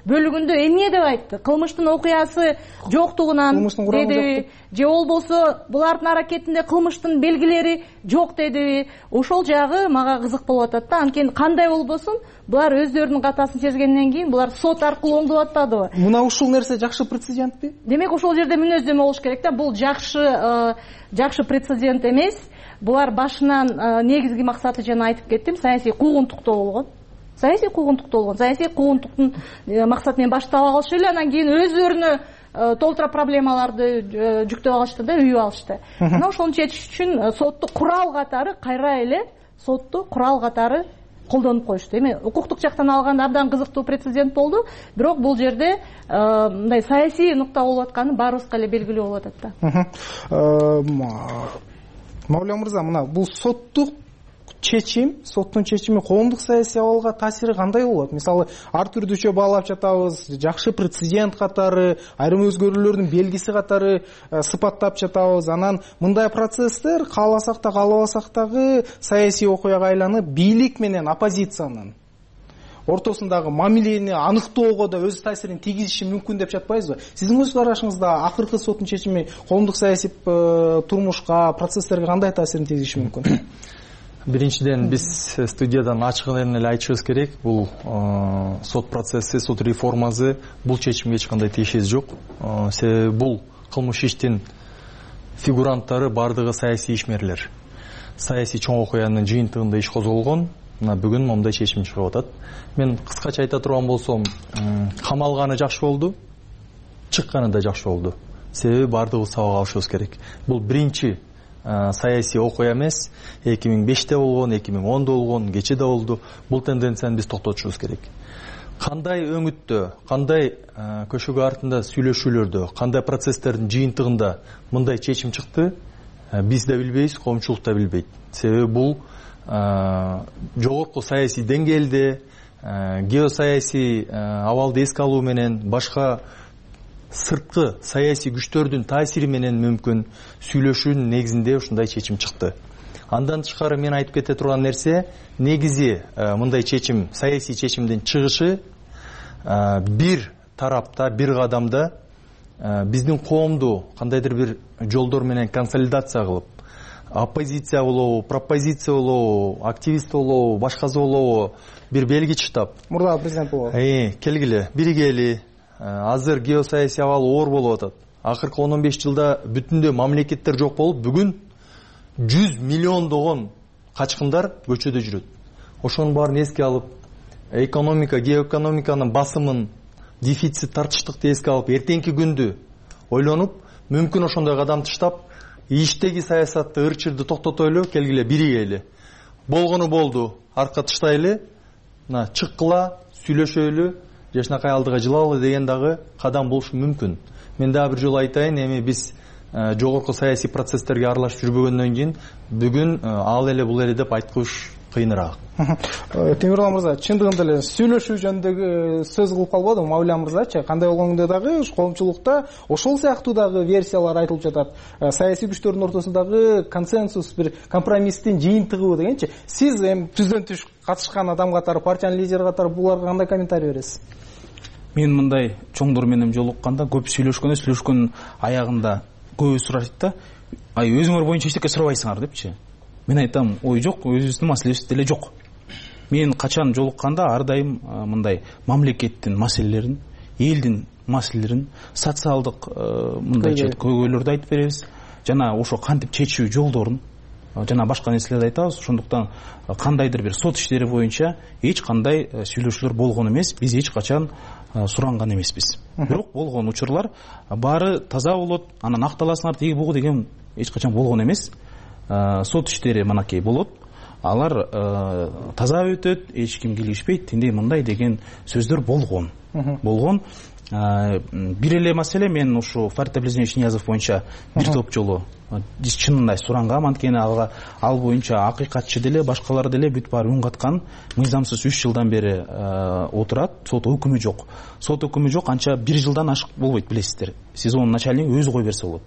бөлүгүндө эмне деп айтты? Кылмыштын окуясы жоктугунан деди, же болбосо булардын аракетинде кылмыштын белгилери жок дедиби? Ошол жагы мага кызык болуп атат да. Анткени кандай болбосун, булар өздөрүнүн катасын сезгенден кийин булар сот аркылуу оңдоп атпадыбы? Мына ушул нерсе жакшы прецедентпи? Демек ошол жерде мүнөздөмө болуш керек да. Бул жакшы жакшы прецедент эмес. Булар башынан негизги максаты жана айтып кеттим, саясий куугунтуктоо болгон. Саясий куугунтуктоо болгон. Саясий куугунтуктун максаты менен баштап алышы эле, анан кийин өздөрүнө толтура проблемаларды жүктөп алышты да, үйүп алышты. Мына ошону чечиш үчүн сотту курал катары, кайра эле сотту курал катары колдонуп коюшту. Эми укуктук жактан алганда абдан кызыктуу прецедент болду, бирок бул жерде мындай саясий нукта болуп атканы баарыбызга эле белгилүү болуп атат да. Мавля мырза, мына бул соттук чечим, соттун чечими коомдук саясий абалга таасири кандай болот? Мисалы, ар түрдүүчө баалап жатабыз, жакшы прецедент катары, айрым өзгөрүүлөрдүн белгиси катары сыпаттап жатабыз. Анан мындай процесстер кааласак да, каалабасак дагы саясий окуяга айланып, бийлик менен оппозициянын ортосундагы мамилени аныктоого да өз таасирин тийгизиши мүмкүн деп жатпайсызбы? Сиздин өз карашыңызда акыркы соттун чечими коомдук саясий турмушка, процесстерге кандай таасирин тийгизиши мүмкүн? Биринчиден, биз студиядан ачыгын эле айтышыбыз керек. Бул сот процесси, сот реформасы бул чечимге эч кандай тиешеси жок. Себеби бул кылмыш иштин фигуранттары бардыгы саясий ишмерлер. Саясий чоң окуянын жыйынтыгында иш козголгон. Мына бүгүн момундай чечим чыгып атат. Мен кыскача айта турган болсом, камалганы жакшы болду, чыкканы да жакшы болду. Себеби бардыгыбыз сабак алышыбыз керек. Бул биринчи саясий окуя эмес, эки миң беште болгон, эки миң ондо болгон, кече да болду. Бул тенденцияны биз токтотушубуз керек. Кандай өңүттө, кандай көшөгө артында сүйлөшүүлөрдө, кандай процесстердин жыйынтыгында мындай чечим чыкты, биз да билбейбиз, коомчулук да билбейт. Себеби бул жогорку саясий деңгээлде, геосаясий абалды эске алуу менен, башка сырткы саясий күчтөрдүн таасири менен мүмкүн сүйлөшүүнүн негизинде ушундай чечим чыкты. Андан тышкары мен айтып кете турган нерсе, негизи мындай чечим, саясий чечимдин чыгышы бир тарапта, бир кадамда биздин коомду кандайдыр бир жолдор менен консолидация кылып, оппозиция болобу, пропозиция болобу, активист болобу, башкасы болобу, бир белги чыктап мурдагы президент болуп келгиле биригели, азыр геосаясий абал оор болуп атат. Акыркы он он беш жылда бүтүндөй мамлекеттер жок болуп, бүгүн жүз миллиондогон качкындар көчөдө жүрөт. Ошонун баарын эске алып, экономика, геоэкономиканын басымын, дефицит, тартыштыкты эске алып, эртеңки күндү ойлонуп, мүмкүн ошондой кадам таштап, иштеги саясатты, ырчырды токтотойлу, келгиле биригели. Болгону болду, арка таштайлы, чыккыла, сүйлөшөйлү, жашынакай алдыга жылалы деген дагы кадам болушу мүмкүн. Мен дагы бир жолу айтайын, эми биз жогорку саясий процесстерге аралашып жүрбөгөндөн кийин бүгүн ал эле бул эле деп айткыш кыйыныраак. Темирлан мырза, чындыгында эле сүйлөшүү жөнүндө сөз кылып калбадым, Мавля мырзачы. Кандай болгондо дагы коомчулукта ошол сыяктуу дагы версиялар айтылып жатат. Саясий күчтөрдүн ортосундагы консенсус, бир компромисстин жыйынтыгы дегенчи. Сиз эми түздөн түш катышкан адам катары, партиянын лидери катары буларга кандай комментарий бересиз? Мен мындай чоңдор менен жолукканда көп сүйлөшкөндө, сүйлөшкөн аягында көбү сурайт да, ай өзүңөр боюнча эчтеке сурабайсыңар депчи. Мен айтам, ой жок, өзүбүздүн маселебиз деле жок. Мен качан жолукканда ар дайым мындай мамлекеттин маселелерин, элдин маселелерин, социалдык мындайча көйгөйлөрдү айтып беребиз. Жана ошо кантип чечүү жолдорун, жана башка нерселерди айтабыз. Ошондуктан кандайдыр бир сот иштери боюнча эч кандай сүйлөшүүлөр болгон эмес, биз эч качан суранган эмеспиз. Бирок болгон учурлар баары таза болот, анан акталасыңар тиги бугу деген эч качан болгон эмес. Сот иштери манакей болот, алар таза өтөт, эч ким килишпейт, тиндей мындай деген сөздөр болгон. Болгон. Бир эле маселе, мен ушу Фарид Абдилазизович Ниязов боюнча бир топ жолу чынында сурангам, анткени алга ал боюнча акыйкатчы деле, башкалар деле бүт баары үн каткан. Мыйзамсыз үч жылдан бери отурат, сот өкүмү жок. Сот өкүмү жок, анча бир жылдан ашык болбойт, билесиздер. СИЗОнун начальниги өзү кой берсе болот.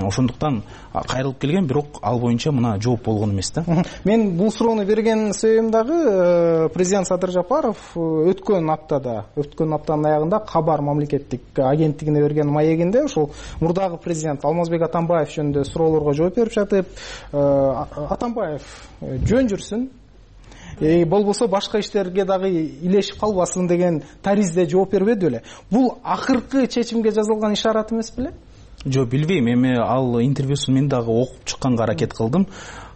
Ошондуктан кайрылып келген, бирок ал боюнча мына жооп болгон эмес да. Мен бул суроону берген себебим дагы президент Садыр Жапаров өткөн аптада, өткөн аптанын аягында Кабар мамлекеттик агенттигине берген маегинде ошол мурдагы президент Алмазбек Атамбаев жөнүндө суроолорго жооп берип жатып, Атамбаев жөн жүрсүн, Э болбосо башка иштерге дагы илешип калбасын деген таризде жооп бербеди беле. Бул акыркы чечимге жазылган ишарат эмес беле? Жок, билбейм. Эми ал интервьюсун мен дагы окуп чыкканга аракет кылдым.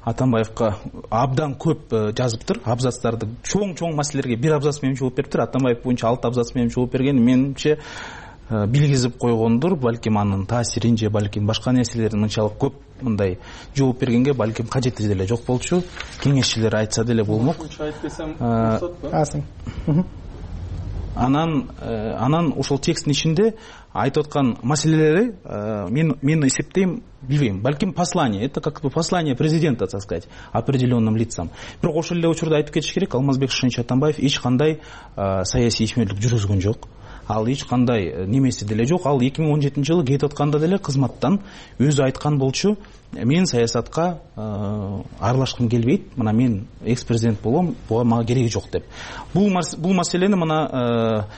Атамбаевка абдан көп жазыптыр, абзацтарды чоң-чоң маселелерге бир абзац менен жооп бериптир. Атамбаев боюнча алты абзац менен жооп берген, менимче билгизип койгондур. Балким анын таасирин же балким башка нерселерин мынчалык көп мындай жооп бергенге балким кажети деле жок болчу. Кеңешчилер айтса деле болмок. Анан анан ошол текстин ичинде айтып аткан маселелери мен мен эсептейм, билбейм, балким послание, это как бы послание президента, так сказать, определенным лицам. Бирок ошол эле учурда айтып кетиш керек, Алмазбек Шишинович Атамбаев эч кандай саясий ишмерлик жүргүзгөн жок. Ал эч кандай немеси деле жок. Ал эки миң он жетинчи жылы кетип атканда деле кызматтан өзү айткан болчу, мен саясатка аралашкым келбейт, мына мен экс-президент болом, буга мага кереги жок деп. Бул бул маселени мына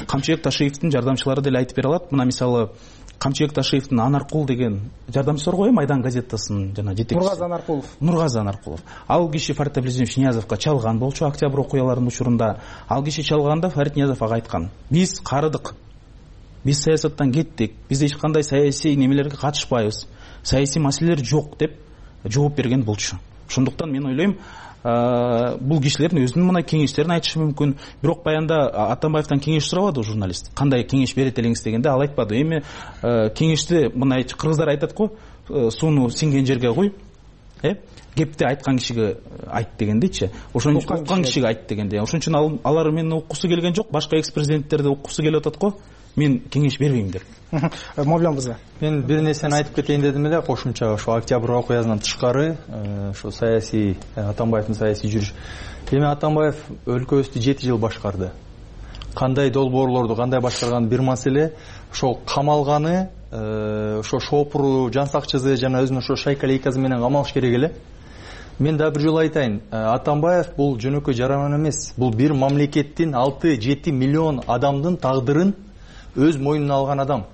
Камчыбек Ташиевдин жардамчылары деле айтып бере алат. Мына мисалы Камчыбек Ташиевдин Анаркул деген жардамчысы бар го, Майдан газетасынын жана жетекчиси. Нургазы Анаркулов. Нургазы Анаркулов. Ал киши Фарид Абдилазизович Ниязовго чалган болчу октябрь окуяларынын учурунда. Ал киши чалганда Фарид Ниязов ага айткан: "Биз карыдык. Биз саясаттан кеттик. Биз эч кандай саясий немелерге катышпайбыз. Саясий маселелер жок" деп жооп берген болчу. Ошондуктан мен ойлойм, бул кишилердин өзүнүн мына кеңештерин айтышы мүмкүн. Бирок баянда Атамбаевтан кеңеш сурабады журналист. Кандай кеңеш берет элеңиз дегенде ал айтпады. Эми кеңешти мына кыргыздар айтат го, сууну сиңген жерге кой. Э? Кепти айткан кишиге айт дегендейчи. Ошону уккан кишиге айт дегенде. Ошон үчүн алар мени уккусу келген жок, башка экс-президенттерди уккусу келип атат го. Мен кеңеш бербейм деп. Мавлян мырза, мен бир нерсени айтып кетейин дедим эле, кошумча ошо октябрь окуясынан тышкары, ошо саясий Атамбаевдин саясий жүрүш. Эми Атамбаев өлкөбүздү жети жыл башкарды. Кандай долбоорлорду кандай башкарган бир маселе, ошо камалганы, ошо шопуру, жан сакчысы жана өзүнүн ошо шайка лейкасы менен камалыш керек эле. Мен да бир жолу айтайын, Атамбаев бул жөнөкөй жаранман эмес. Бул бир мамлекеттин алты жети миллион адамдын тагдырын өз мойнуна алган адам.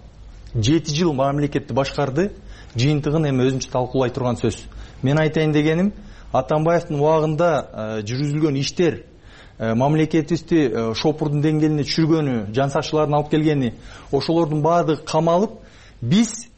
жети жыл мамлекетти башкарды, жыйынтыгын эми өзүнчө талкуулай турган сөз. Мен айтайын дегеним, Атамбаевдин убагында жүргүзүлгөн иштер мамлекетибизди шопурдун деңгээлине түшүргөнү, жан сакчылардын алып келгени, ошолордун баардыгы камалып, биз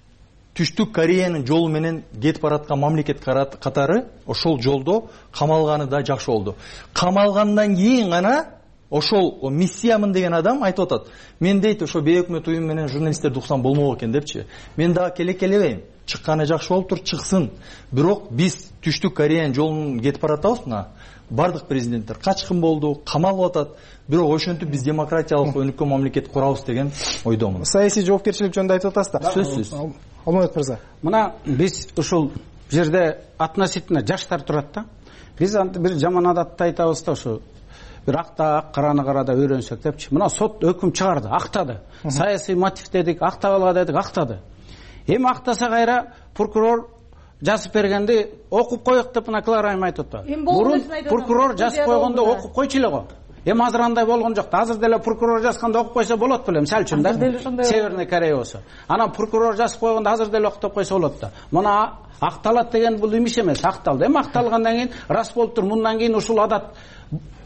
Түштүк Кореянын жолу менен кетип бараткан мамлекет катары ошол жолдо камалганы да жакшы болду. Камалгандан кийин гана ошол миссиямын деген адам айтып атат. Мен дейт, ошо бейөкмөт уюм менен журналисттерди уксам болмок экен депчи. Мен дагы келек келебейм. Чыкканы жакшы болуптур, чыксын. Бирок биз Түштүк Кореянын жолун кетип баратабыз мына. Бардык президенттер качкын болду, камалып атат. Бирок ошентип биз демократиялык өнүккөн мамлекет курабыз деген ойдомун. Саясий жоопкерчилик жөнүндө айтып атасыздар. Сөзсүз. Алмамет мырза. Мына биз ушул жерде относительно жаштар турат да. Биз бир жаман адатты айтабыз да, ошо бир акта ак, караны карада үйрөнсөк депчи. Мына сот өкүм чыгарды, актады. Саясий мотив дедик, актабалга дедик, актады. Эми актаса кайра прокурор жазып бергенди окуп коек деп мына Клара айым айтып атты. Мурун прокурор жазып койгондо окуп койчу эле го. Эми азыр андай болгон жок. Азыр деле прокурор жазганда окуп койсо болот белем, мисалы үчүн да. Северный Корея болсо. Анан прокурор жазып койгондо азыр деле окуп койсо болот да. Мына акталат деген бул имиш эмес, акталды. Эми акталгандан кийин рас болуптур, мындан кийин ушул адат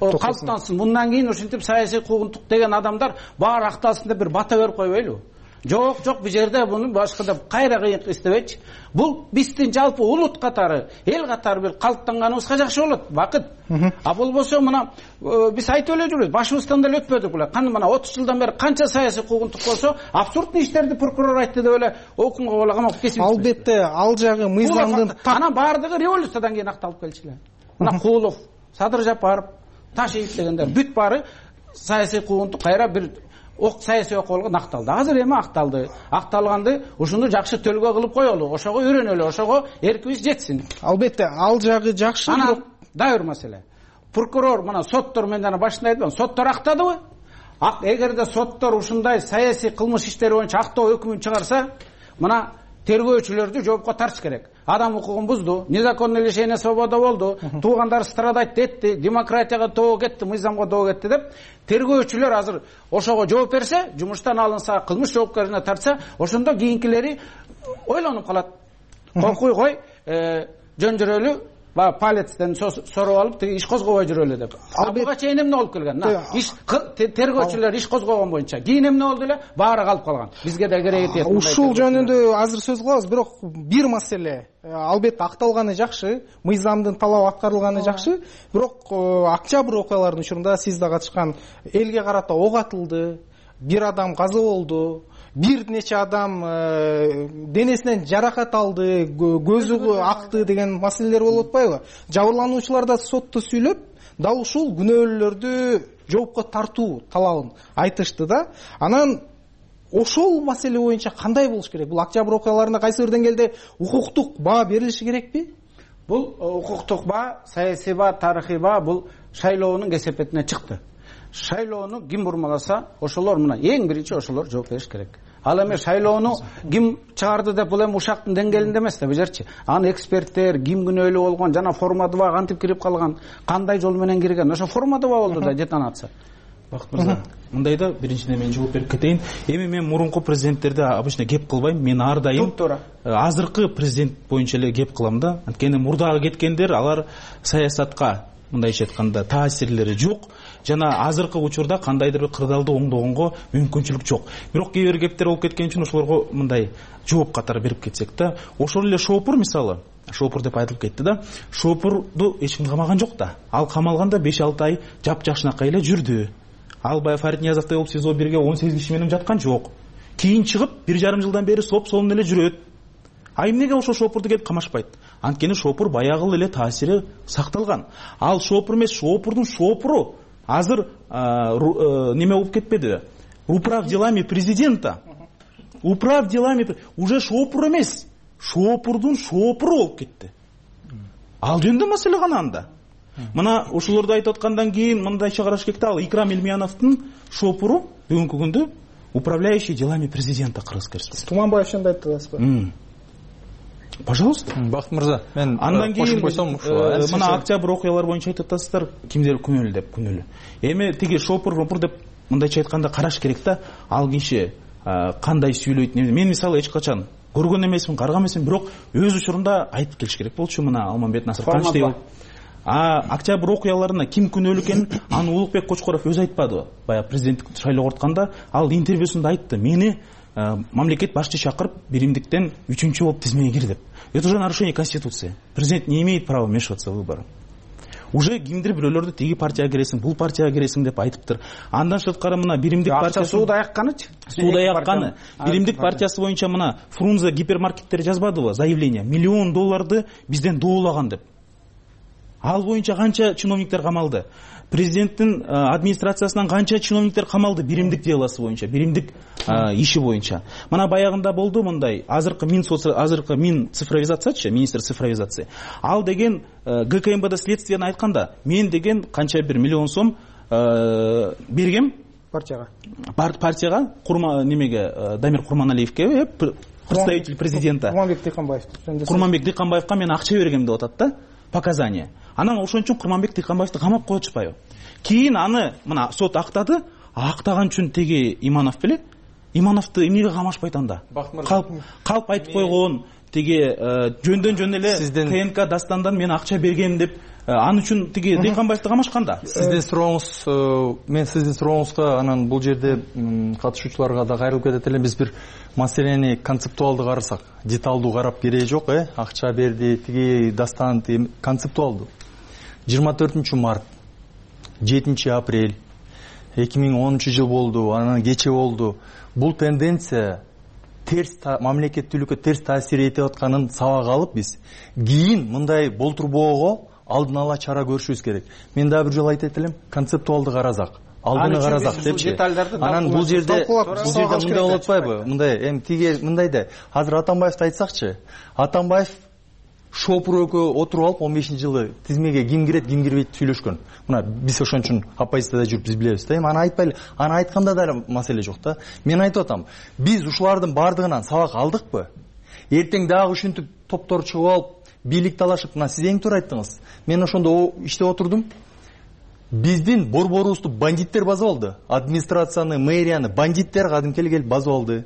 калыптансын. Мындан кийин ушинтип саясий куугунтук деген адамдар баары акталсын деп бир бата берип койбойлу. Жок, жок, бул жерде буну башка деп кайра кыйык истебечи. Бул биздин жалпы улут катары, эл катары бир калыптанганыбызга жакшы болот, бакыт. А болбосо мына биз айтып эле жүрөбүз, башыбыздан деле өтпөдүк эле. Каны мына отуз жылдан бери канча саясий куугунтук болсо, абсурдный иштерди прокурор айтты деп эле окумга бола камап кесип. Албетте, ал жагы мыйзамдын анан баардыгы революциядан кийин акталып келчү. Мына Куулов, Садыр Жапаров, Ташиев дегендер бүт баары саясий куугунтук кайра бир ок саясий окуяларга акталды. Азыр эми акталды. Акталганды ушуну жакшы төлгө кылып коелу, ошого үйрөнөлү, ошого эркибиз жетсин. Албетте, ал жагы жакшы. Анан дагы бир маселе. Прокурор мына соттор, мен жана башында айттым, соттор актадыбы? Ак, эгерде соттор ушундай саясий кылмыш иштери боюнча актоо өкүмүн чыгарса, мына тергөөчүлөрдү жоопко тартыш керек. Адам укугун бузду, незаконный лишение свободы болду, туугандар страдать этти, демократияга тоо кетти, мыйзамга тоо кетти деп тергөөчүлөр азыр ошого жооп берсе, жумуштан алынса, кылмыш жоопкерчилигине тартса, ошондо кийинкилери ойлонуп калат. Коркуй кой, жөн жүрөлү, баягы палецтен соруп алып, тиги иш козгобой жүрөлү деп. Ал буга чейин эмне болуп келген? Иш тергөөчүлөр иш козгогон боюнча. Кийин эмне болду эле? Баары калып калган. Бизге да кереги тиет. Ушул жөнүндө азыр сөз кылабыз, бирок бир маселе. Албетте акталганы жакшы, мыйзамдын талабы аткарылганы жакшы, бирок Октябрь окуяларынын учурунда сиз да катышкан элге карата ок атылды, бир адам каза болду. Бир нече адам денесинен жаракат алды, көзү акты деген маселелер болуп атпайбы? Жабырлануучулар да сотто сүйлөп, дал ушул күнөөлүүлөрдү жоопко тартуу талабын айтышты да. Анан ошол маселе боюнча кандай болуш керек? Бул Октябрь окуяларында кайсы бир деңгээлде укуктук баа берилиши керекпи? Бул укуктук баа, саясий баа, тарыхый баа бул шайлоонун кесепетине чыкты. Шайлоону ким бурмаласа, ошолор мына эң биринчи ошолор жооп бериш керек. Ал эми шайлоону ким чыгарды деп бул эми ушактын деңгээлинде эмес да, бежерчи. Аны эксперттер, ким күнөөлүү болгон, жана формадыба кантип кирип калган, кандай жол менен кирген, ошо формадыба болду да детонация. Бакыт мырза, мындайда биринчиден мен жооп берип кетейин. Эми мен мурунку президенттерди обычно кеп кылбайм. Мен ар дайым азыркы президент боюнча эле кеп кылам да. Анткени мурдагы кеткендер, алар саясатка мындайча айтканда таасирлери жок. Жана азыркы учурда кандайдыр бир кырдаалды оңдогонго мүмкүнчүлүк жок. Бирок кээ бир кептер болуп кеткен үчүн ошолорго мындай жооп катары берип кетсек да. Ошол эле Шопур мисалы, Шопур деп айтылып кетти да. Шопурду эч ким камаган жок да. Ал камалганда беш алты ай жапжашынакай эле жүрдү. Ал баягы Фарид Ниязовдой болуп СИЗО бирге он сегиз киши менен жаткан жок. Кийин чыгып бир жарым жылдан бери соп сонун эле жүрөт. А эмнеге ошол Шопурду келип камашпайт? Анткени Шопур баягы эле таасири сакталган. Ал Шопур эмес, Шопурдун Шопуру азыр неме болуп кетпеди? Управ делами президента. Управ делами уже Шопур эмес, Шопурдун Шопуру болуп кетти. Ал жөнүндө маселе гана анда. Мына ушуларды айтып аткандан кийин мындайча караш керек да, ал Икрам Элмияновдун Шопуру бүгүнкү күндө управляющий делами президента Кыргызской Республикасы. Туманбаев жөнүндө айттыңызбы? Пожалуйста. Бакыт мырза, мен андан кийин мына Октябрь окуялары боюнча айтып атасыздар, кимдер күнөөлүү деп, күнөөлүү. Эми тиги Шопур, Шопур деп мындайча айтканда караш керек да, ал киши кандай сүйлөйт. Мен мисалы эч качан көргөн эмесмин, карган эмесмин, бирок өз учурунда айтып келиш керек болчу. Мына Алмамбет Насыр Канчтей болуп а октябрь окуяларына ким күнөөлүү экенин аны Улукбек Кочкоров өзү айтпадыбы? Баягы президенттик шайлоого ортканда ал интервьюсунда айтты: мени мамлекет башчы чакырып биримдиктен үчүнчү болуп тизмеге кир деп. Это уже нарушение конституции. Президент не имеет права вмешиваться в выборы. Уже кимдир бирөөлөрдү тиги партияга киресиң, бул партияга киресиң деп айтыптыр. Андан сырткары мына биримдик партиясы сууда аякканычы? Сууда аякканы. Биримдик партиясы боюнча мына Фрунзе гипермаркеттери жазбадыбы заявление? Миллион долларды бизден доолаган деп. Ал боюнча канча чиновниктер камалды? Президенттин администрациясынан канча чиновниктер камалды биримдик делосы боюнча, биримдик иши боюнча. Мына баягында болду мындай азыркы мин азыркы мин цифровизациячы, министр цифровизации. Ал деген ГКМБД следствияны айтканда, мен деген канча бир миллион сом бергем партияга. Партияга Курма немеге Дамир Курманалиевке, представитель президента. Курманбек Дыйканбаев. Курманбек Дыйканбаевка мен акча бергем деп атат да, показания. Анан ошон үчүн Курманбек Дыйканбаевди камап коюп атышпайбы? Кийин аны мына сот актады, актаган үчүн теги Иманов беле? Имановду эмнеге камашпайт анда? Калп калп айтып койгон, теги жөндөн жөн эле КНК Дастандан мен акча бергем деп аны үчүн тиги Дыйканбаевди камашканда. Сиздин сурооңуз, мен сиздин сурооңузга анан бул жерде катышуучуларга да кайрылып кетет элем. Биз бир маселени концептуалдуу карасак, деталдуу карап кереги жок, э? Акча берди, тиги Дастан, концептуалдуу. жыйырма төртүнчү март, жетинчи апрель, эки миң онунчу жыл болду, анан кече болду. Бул тенденция терс мамлекеттүүлүккө терс таасир этип атканын сабак алып биз кийин мындай болтурбоого алдын ала чара көрүшүбүз керек. Мен дагы бир жолу айтып элем, концептуалдуу карасак, алдыны карасак депчи. Анан бул жерде бул жерде мындай болуп атпайбы? Мындай эми тиги мындай да азыр Атамбаевди айтсакчы, Атамбаев шопур экөө отуруп алып он бешинчи жылы тизмеге ким кирет, ким кирбейт сүйлөшкөн. Мына биз ошон үчүн оппозицияда жүрүп биз билебиз да. Эми аны айтпайлы, аны айтканда да маселе жок да. Мен айтып атам, биз ушулардын бардыгынан сабак алдыкпы? Эртең дагы ушинтип топтор чыгып алып, бийлик талашып, мына сиз эң туура айттыңыз. Мен ошондо иштеп отурдум. Биздин борборубузду бандиттер басып алды. Администрацияны, мэрияны бандиттер кадимкели келип басып алды.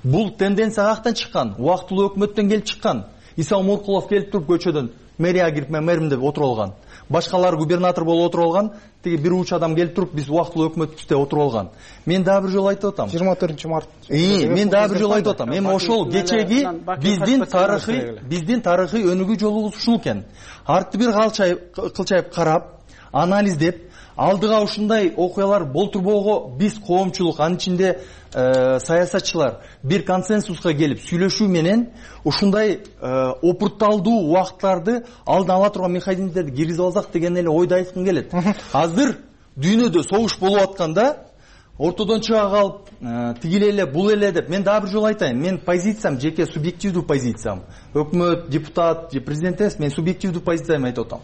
Бул тенденция каяктан чыккан? Убактылуу өкмөттөн келип чыккан. Иса Муркулов келип туруп көчөдөн мэрияга кирип мен мэрим деп отуруп алган. Башкалар губернатор болуп отуруп алган. Тиги бир уч адам келип туруп биз убактылуу өкмөтүбүздө отуруп алган. Мен дагы бир жолу айтып атам. жыйырма төртүнчү март. Ии, мен дагы бир жолу айтып атам. Эми ошол кечеги биздин тарыхый, биздин тарыхый өнүгүү жолубуз ушул экен. Артты бир кылчайып карап, анализдеп, алдыга ушундай окуялар болтурбоого биз коомчулук, анын ичинде саясатчылар бир консенсуска келип сүйлөшүү менен ушундай опурталдуу убакыттарды алдын ала турган механизмдерди киргизип алсак деген эле ойду айткым келет. Азыр дүйнөдө согуш болуп атканда ортодон чыга калып тигил эле бул эле деп мен дагы бир жолу айтайын. Мен позициям жеке субъективдүү позициям. Өкмөт, депутат же президент эмес, мен субъективдүү позициямды айтып атам.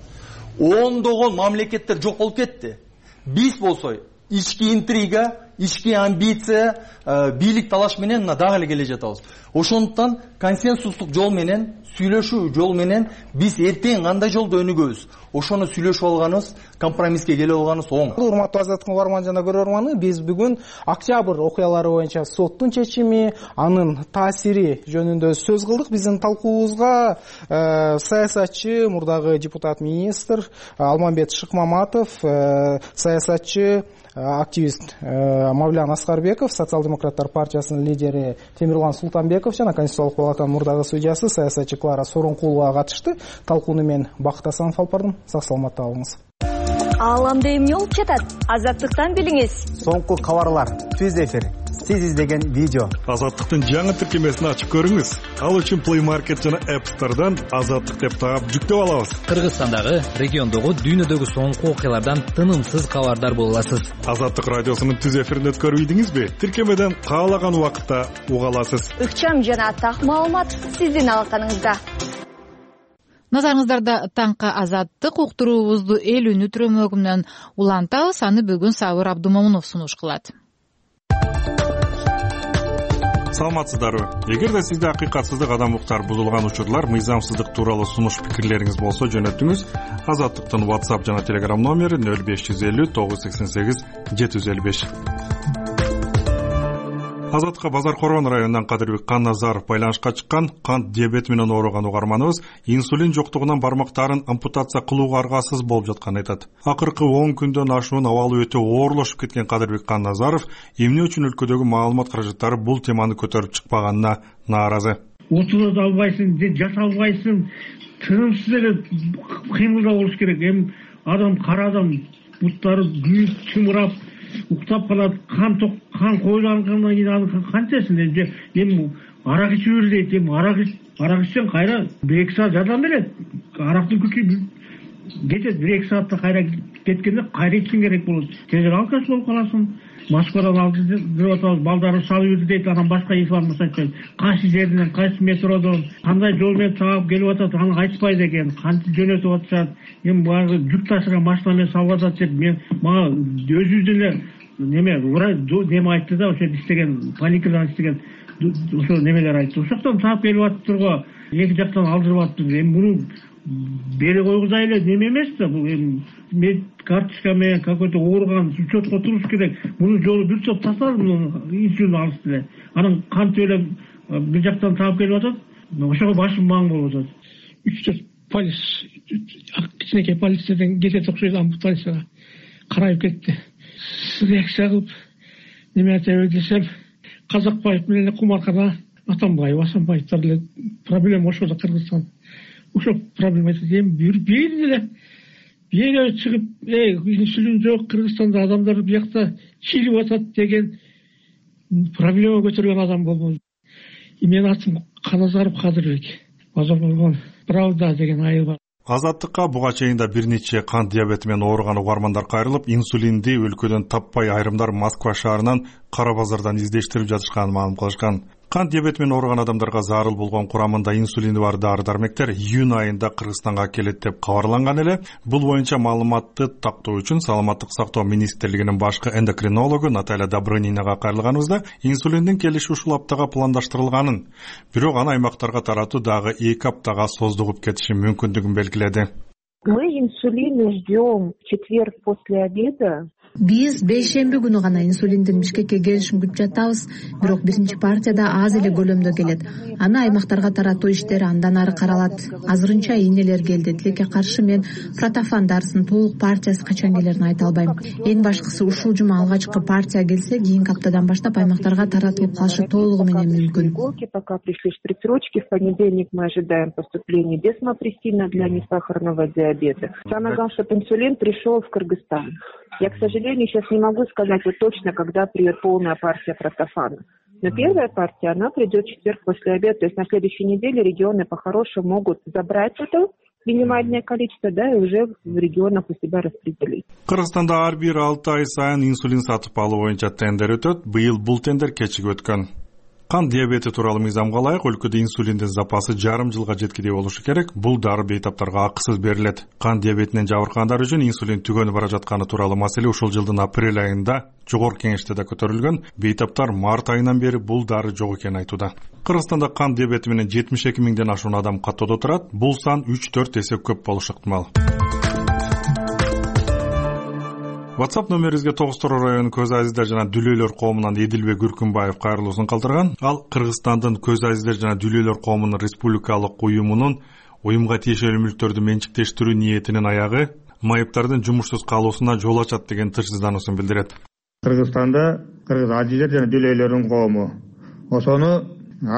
Ондогон мамлекеттер жок болуп кетти. Биз болсо ички интрига, ички амбиция, бийлик талаш менен мына дагы эле келе жатабыз. Ошондуктан консенсустук жол менен, сүйлөшүү жол менен биз эртең кандай жолдо өнүгөбүз, ошону сүйлөшүп алганыбыз, компромисске келип алганыбыз оң. Урматтуу Азаттыктын угарман жана көрөрманы, биз бүгүн октябрь окуялары боюнча соттун чечими, анын таасири жөнүндө сөз кылдык. Биздин талкуубузга саясатчы, мурдагы депутат министр Алмамбет Шыкмаматов, саясатчы, активист Мавлян Аскарбеков, социал-демократтар партиясынын лидери Темирлан Султанбеков жана Конституциялык палатанын мурдагы судьясы саясатчы Клара Сооронкулова катышты. Талкууну мен Бакыт Асанов алып бардым. Сак саламатта болуңуз. Ааламда эмне болуп жатат? Азаттыктан билиңиз. Соңку кабарлар, түз эфир, сиз издеген видео. Азаттыктын жаңы тиркемесин ачып көрүңүз. Ал үчүн Play Market жана App Store'дан Азаттык деп таап жүктөп алабыз. Кыргызстандагы, региондогу, дүйнөдөгү соңку окуялардан тынымсыз кабардар боло аласыз. Азаттык радиосунун түз эфирин өткөрүп ийдиңизби? Тиркемеден каалаган убакытта уга аласыз. Ыкчам жана так маалымат сиздин алаканыңызда. Назарыңыздарда таңкы Азаттык уктуруубузду эл үнү түрөмөгү менен улантабыз. Аны бүгүн Сабыр Абдумомунов сунуш кылат. Саламатсыздарбы? Эгерде сизде акыйкатсыздык, адам укуктары бузулган учурлар, мыйзамсыздык тууралуу сунуш пикирлериңиз болсо жөнөтүңүз. Азаттыктын WhatsApp жана Telegram номери нөл беш жүз элүү тогуз жүз сексен сегиз жети жүз элүү беш. Азаттыкка Базар Коргон районунан Кадырбек Канназаров байланышка чыккан. Кант диабети менен ооруган угарманыбыз инсулин жоктугунан бармактарын ампутация кылууга аргасыз болуп жатканын айтат. Акыркы он күндөн ашуун абалы өтө оорлошуп кеткен Кадырбек Канназаров эмне үчүн өлкөдөгү маалымат каражаттары бул теманы көтөрүп чыкпаганына нааразы. Отура албайсың, жата албайсың, тынымсыз эле кыймылдап болуш керек. Эми адам кара адам буттары күйүп чымырап уктап калат, кан ток кан коюлгандан кийин аны канчасын эми эми арак ичип бер дейт. Эми арак арак ичсең кайра бир эки саат жардам берет. Арактын күчү кетет, бир эки саатта кайра кеткенде кайра ичиң керек болот. Тезирээк алкаш болуп каласың. Москвадан алды деп атабыз, балдары салып жүрдү дейт, анан башка информация айтпайт. Кайсы жерден, кайсы метродон, кандай жол менен чаап келип атат, аны айтпайт экен. Кантип жөнөтүп атышат, эми баягы жүк ташыган машина менен салып атат деп мен мага өзүбүздүн эле неме неме айтты да, ошо иштеген паникадан иштеген ошо немелер айтты. Ошоктон таап келип атыптыр го, эки жактан алдырып атыптыр. Эми муну бере койгузай эле неме эмес да, бул эми мед карточка менен какой-то ооруган учетко туруш керек. Мунун жолу бир топ тасталып, инсулин алышты эле. Анан кантип эле бир жактан таап келип атат, ошого башым маң болуп атат. үч төрт полис, кичинекей полициядан кетет окшойт, ампутацияга карайып кетти. Реакция кылып неме айтабы десем, Казакбаев менен Кумаркана Атамбаев, Асанбаевдер эле проблема ошол Кыргызстан. Ошо проблема айтат. Эми бир бир эле бирөө чыгып, эй, инсулин жок, Кыргызстанда адамдар биякта чилип атат деген проблема көтөргөн адам болбойт. Менин атым Каназаров Кадырбек. Базар Коргон Правда деген айыл бар. Азаттыкка буга чейин да бир нече кант диабети менен ооруган угармандар кайрылып, инсулинди өлкөдөн таппай айрымдар Москва шаарынан Кара базардан издештирип жатышканын маалым кылышкан. Кант диабети менен ооруган адамдарга зарыл болгон курамында инсулини бар дары-дармектер июнь айында Кыргызстанга келет деп кабарланган эле. Бул боюнча маалыматты тактоо үчүн Саламаттык сактоо министрлигинин башкы эндокринологу Наталья Добрынинага кайрылганыбызда инсулиндин келиши ушул аптага пландаштырылганын, бирок аны аймактарга таратуу дагы эки аптага создугуп кетиши мүмкүндүгүн белгиледи. Мы инсулин ждем в четверг после обеда. Биз бейшемби күнү гана инсулиндин Бишкекке келишин күтүп жатабыз, бирок биринчи партияда аз эле көлөмдө келет. Аны аймактарга таратуу иштери андан ары каралат. Азырынчаийнелер келди. Тилекке каршы мен протофан дарысынын толук партиясы качан келерин айта албайм. Эң башкысы ушул жума алгачкы партия келсе, кийинки аптадан баштап аймактарга таратылып калышы толугу менен мүмкүн. Пока пришли шприцручки, в понедельник мы ожидаем поступления десмопрессина для несахарного диабета. Самое главное, чтобы инсулин пришел в Кыргызстан. Я, к сожалению, сейчас не могу сказать вот точно, когда придет полная партия протофана. Но первая партия, она придет в четверг после обеда. То есть на следующей неделе регионы по-хорошему могут забрать это минимальное количество, да, и уже в регионах у себя распределить. Кыргызстанда ар бир алты ай сайын инсулин сатып алуу боюнча тендер өтөт. Быйыл бул тендер кечигип өткөн. Кант диабети тууралуу мыйзамга ылайык өлкөдө инсулиндин запасы жарым жылга жеткидей болушу керек. Бул дары бейтаптарга акысыз берилет. Кант диабетинен жабыркагандар үчүн инсулин түгөнүп бара жатканы тууралуу маселе ушул жылдын апрель айында жогорку кеңеште да көтөрүлгөн. Бейтаптар март айынан бери бул дары жок экенин айтууда. Кыргызстанда кант диабети менен жетимиш эки миңден ашуун адам каттоодо турат. Бул сан үч төрт эсе көп болушу ыктымал. WhatsApp номерибизге Тогуз-Тороо районунун көз азиздер жана дүлөйлөр коомунан Эдилбек Үркүнбаев кайрылуусун калтырган. Ал Кыргызстандын көз азиздер жана дүлөйлөр коомунун республикалык уюмунун уюмга тиешелүү мүлктөрдү менчиктештирүү ниетинин аягы майыптардын жумушсуз калуусуна жол ачат деген тынчсыздануусун билдирет. Кыргызстанда кыргыз азиздер жана дүлөйлөрдүн коому, ошону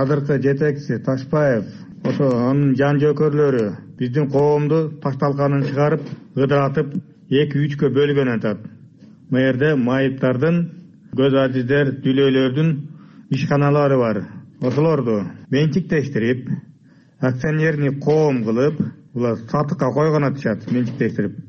азыркы жетекчиси Ташпаев, ошо анын жан жөөкөрлөрү биздин коомду ташталканын чыгарып, ыдыратып эки үчкө бөлгөн атат. Мэрде майыптардын, көз азиздер, дүлөйлөрдүн ишканалары бар. Ошолорду менчиктештирип, акционерный коом кылып, булар сатыкка койгон атышат, менчиктештирип.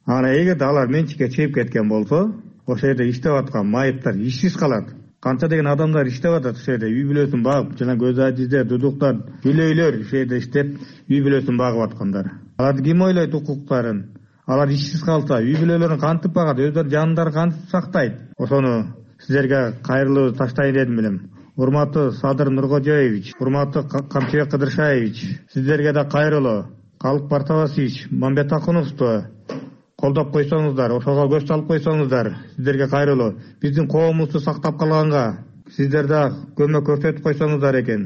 Ана эгерде алар менчикке чыгып кеткен болсо, ошол жерде иштеп аткан майыптар ишсиз калат. Канча деген адамдар иштеп атат ошол жерде, үй бүлөсүн багып, жана көз азиздер, дудуктар, дүлөйлөр ошол жерде иштеп, үй бүлөсүн багып аткандар. Аларды ким ойлойт укуктарын? Алар ишсиз калса, үй бүлөлөрүн кантип багат, өздөрү жандарын кантип сактайт? Ошону сиздерге кайрылуу таштайын дедим элем. Урматтуу Садыр Нуркожоевич, урматтуу Камчыбек Кыдыршаевич, сиздерге да кайрылуу. Калык Бартабасович, Мамбет Акуновду колдоп койсоңуздар, ошого көз салып койсоңуздар, сиздерге кайрылуу. Биздин коомубузду сактап калганга сиздер дагы көмөк көрсөтүп койсоңуздар экен.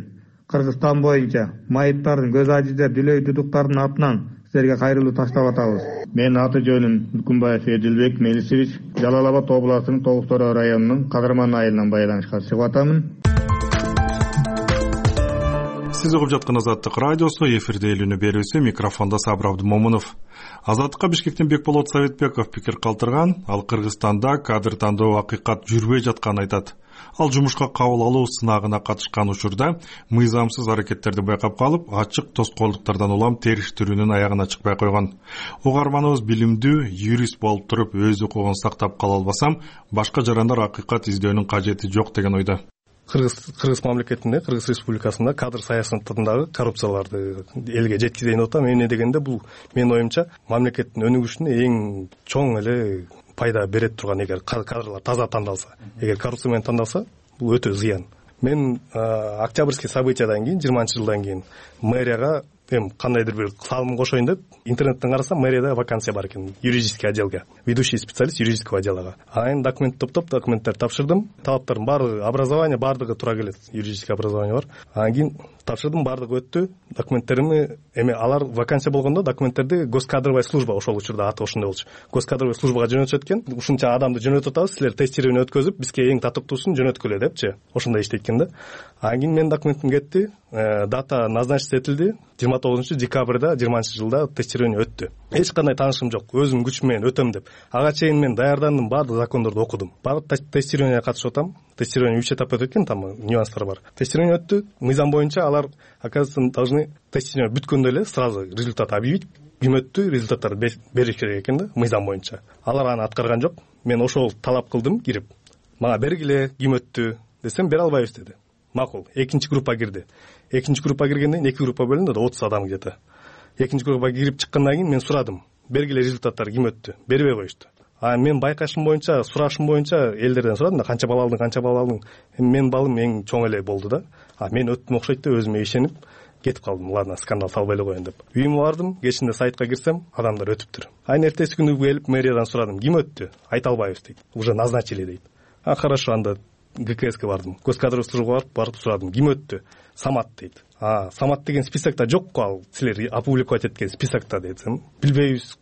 Кыргызстан боюнча майыптардын көз ажиздер Дүлөй Дудуктардын атынан силерге кайрылуу таштап атабыз. Менин аты жөнүм Мүкүмбаев Эдилбек Мелисевич, Жалал Абад областынын Тогуз Тороо районунун Кадырман айылынан байланышка чыгып атамын. Сиз угуп жаткан Азаттык радиосу, эфирде элүүнү берүүсү, микрофондо Сабыр Абдымомунов. Азаттыкка Бишкектен Бекболот Советбеков пикир калтырган. Ал Кыргызстанда кадр тандоо акыйкат жүрбөй жатканын айтат. Ал жумушка кабыл алуу сынагына катышкан учурда мыйзамсыз аракеттерди байкап калып, ачык тоскоолдуктардан улам териштирүүнүн аягына чыкпай койгон. Угарманыбыз билимдүү юрист болуп туруп өз укугун сактап кала албасам, башка жарандар акыйкат издөөнүн кажети жок деген ойдо. Кыргыз Кыргыз мамлекетинде, Кыргыз Республикасында кадр саясатындагы коррупцияларды элге жеткизейин деп атам. Эмне дегенде бул менин оюмча мамлекеттин өнүгүшүнө эң чоң эле пайда берет турган, эгер кадрлар таза тандалса, эгер коррупция менен тандалса, бул өтө зыян. Мен октябрьский событиядан кийин, жыйырманчы жылдан кийин мэрияга эми кандайдыр бир салым кошоюн деп интернеттен карасам, мэрияда вакансия бар экен, юридический отделге, ведущий специалист юридического отдела. Анан документ топтоп, документтер тапшырдым. Талаптардын баардыгы, образование баардыгы туура келет, юридический образование бар. Анан кийин тапшырдым, баардыгы өттү. Документтеримди эми алар вакансия болгондо документтерди госкадровая служба, ошол учурда аты ошондой болчу. Госкадровая службага жөнөтүшөт экен. Ушунча адамды жөнөтүп атабыз, силер тестирование өткөзүп, бизге эң татыктуусун жөнөткүлө депчи. Ошондой иштейт экен да. Анан кийин менин документим кетти. Дата назначиться этилди. жыйырма тогузунчу декабрда жыйырманчы жылда тестирование өттү. Эч кандай таанышым жок. Өзүм күчүм менен өтөм деп. Ага чейин мен даярдандым, баардык закондорду окудум. Баардык тестированияга катышып атам. Тестирование үч этап өтөт экен, там нюанстар бар. Тестирование өттү. Мыйзам боюнча алар, оказывается, должны тестирование бүткөндө эле сразу результат объявить. Ким өттү, результаттарды бериш керек экен да, мыйзам боюнча. Алар аны аткарган жок. Мен ошол талап кылдым, кирип. Мага бергиле, ким өттү десем, бере албайбыз деди. Макул. Экинчи группа кирди. Экинчи группа киргенден кийин эки группа бөлүндү да, отуз адам где-то. Экинчи группага кирип чыккандан кийин мен сурадым. Бергиле результаттар ким өттү? Бербей коюшту. А мен байкашым боюнча, сурашым боюнча элдерден сурадым да, канча балл алдың, канча балл алдың. Мен балым эң чоң эле болду да. А мен өттүм окшойт деп өзүмө ишенип кетип калдым. Ладно, скандал салбай эле коеюн деп. Үйүмө бардым, кечинде сайтка кирсем, адамдар өтүптүр. Айын эртеси күнү келип мэриядан сурадым, ким өттү? Айта албайбыз дейт. Уже назначили дейт. А хорошо, анда ГКСке бардым. Госкадровая службага барып, барып сурадым, ким өттү? Самат дейт. А, Самат деген списокто жок го, ал силер опубликовать эткен списокто десем, билбейбиз.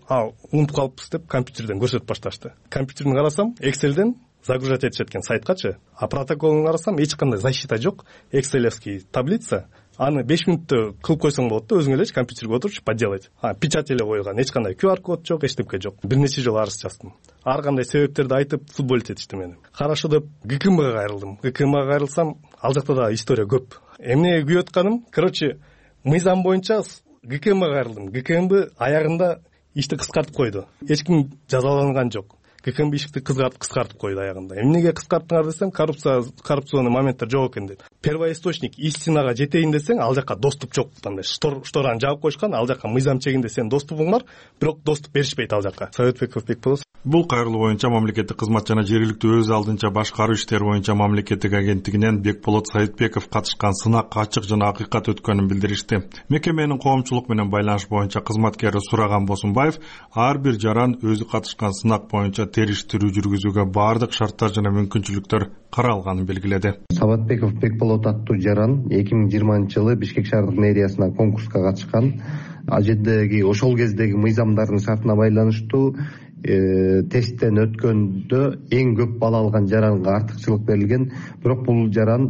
А, унутуп калыппыз деп компьютерден көрсөтүп башташты. Компьютерден карасам, Excel'ден загружать этишет экен сайткачы. А протоколун карасам, эч кандай защита жок. Excel'евский таблица. Аны беш мүнөттө кылып койсоң болот да, өзүң эле компьютерге отуруп поделать. А, печать эле койгон, эч кандай ку ар код жок, эчтеке жок. Бир нече жолу арыз жаздым. Ар кандай себептерди айтып, футболить этишти мени. Хорошо деп ГКМга кайрылдым. ГКМга кайрылсам, ал жакта да история көп. Эмне күйүп атканым, короче, мыйзам боюнча ГКМга кайрылдым. ГКМбы аягында ишти кыскартып койду. Эч ким жазаланган жок. ГКМ ишти кыскартып кыскартып койду аягында. Эмнеге кыскарттыңар десем, коррупция, коррупционный моменттер жок экен дейт. Первоисточник истинага жетейин десең, ал жака доступ жок. Андай штораны жаап койшкан, ал жака мыйзам чегинде сен доступуң бар, бирок доступ беришпейт ал жака. Советбеков Бекболот. Бул кайрылуу боюнча мамлекеттик кызмат жана жергиликтүү өз алдынча башкаруу иштери боюнча мамлекеттик агенттигинен Бекболот Советбеков катышкан сынак ачык жана акыйкат өткөнүн билдиришти. Мекеменин коомчулук менен байланыш боюнча кызматкери Сураган Босунбаев ар бир жаран өзү катышкан сынак боюнча териштирүү жүргүзүүгө баардык шарттар жана мүмкүнчүлүктөр каралганын белгиледи. Советбеков Бекболот аттуу жаран эки миң жыйырманчы жылы Бишкек шаардык мэриясына конкурска катышкан. Ал жердеги ошол кездеги мыйзамдардын шартына байланыштуу тесттен өткөндө эң көп балл алган жаранга артыкчылык берилген. Бирок бул жаран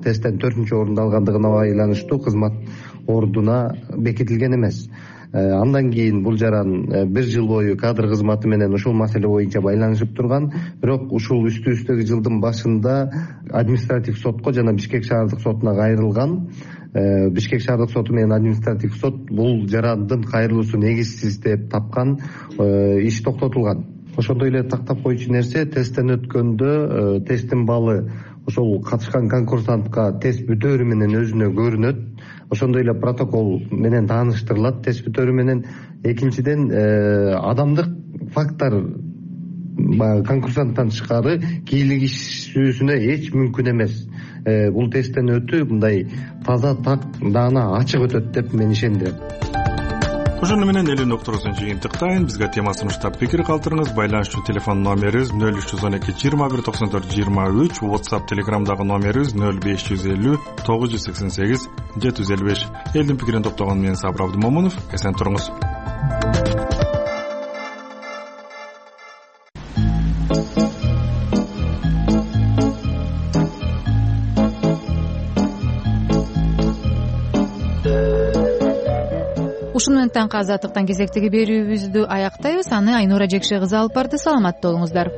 тесттен төртүнчү орунду алгандыгына байланыштуу кызмат ордуна бекитилген эмес. Андан кийин бул жаран бир жыл бою кадр кызматы менен ушул маселе боюнча байланышып турган. Бирок ушул үстү-үстөгү жылдын башында административ сотко жана Бишкек шаардык сотуна кайрылган. Бишкек шаардык соту менен административ сот бул жарандын кайрылуусу негизсиз деп тапкан, иш токтотулган. Ошондой эле тактап коючу нерсе, тесттен өткөндө тесттин баллы ошол катышкан конкурсантка тест бүтөөрү менен өзүнө көрүнөт. Ошондой эле протокол менен тааныштырылат тест бүтөөрү менен. Экинчиден, адамдык факттар конкурсанттан тышкары кийлигишүүсүнө эч мүмкүн эмес. Бул тесттен өтүү мындай таза, так, даана, ачык өтөт деп мен ишендирем. ошону менен элүү уктуруусун жыйынтыктайын. Бизге тема сунуштап пикир калтырыңыз. Байланыш үчүн телефон номерибиз нөл үч жүз он эки жыйырма бир токсон төрт жыйырма үч, WhatsApp Telegramдагы номерибиз нөл беш жүз элүү тогуз жүз сексен сегиз жети жүз элүү беш. Элдин пикирин топтогон мен Сабыр Абдымомунов. Эсен туруңуз. Ушун менен таңкы азаттыктан кезектеги берүүбүздү аяктайбыз. Аны Айнура Жекше кызы алып барды. Саламатта болуңуздар.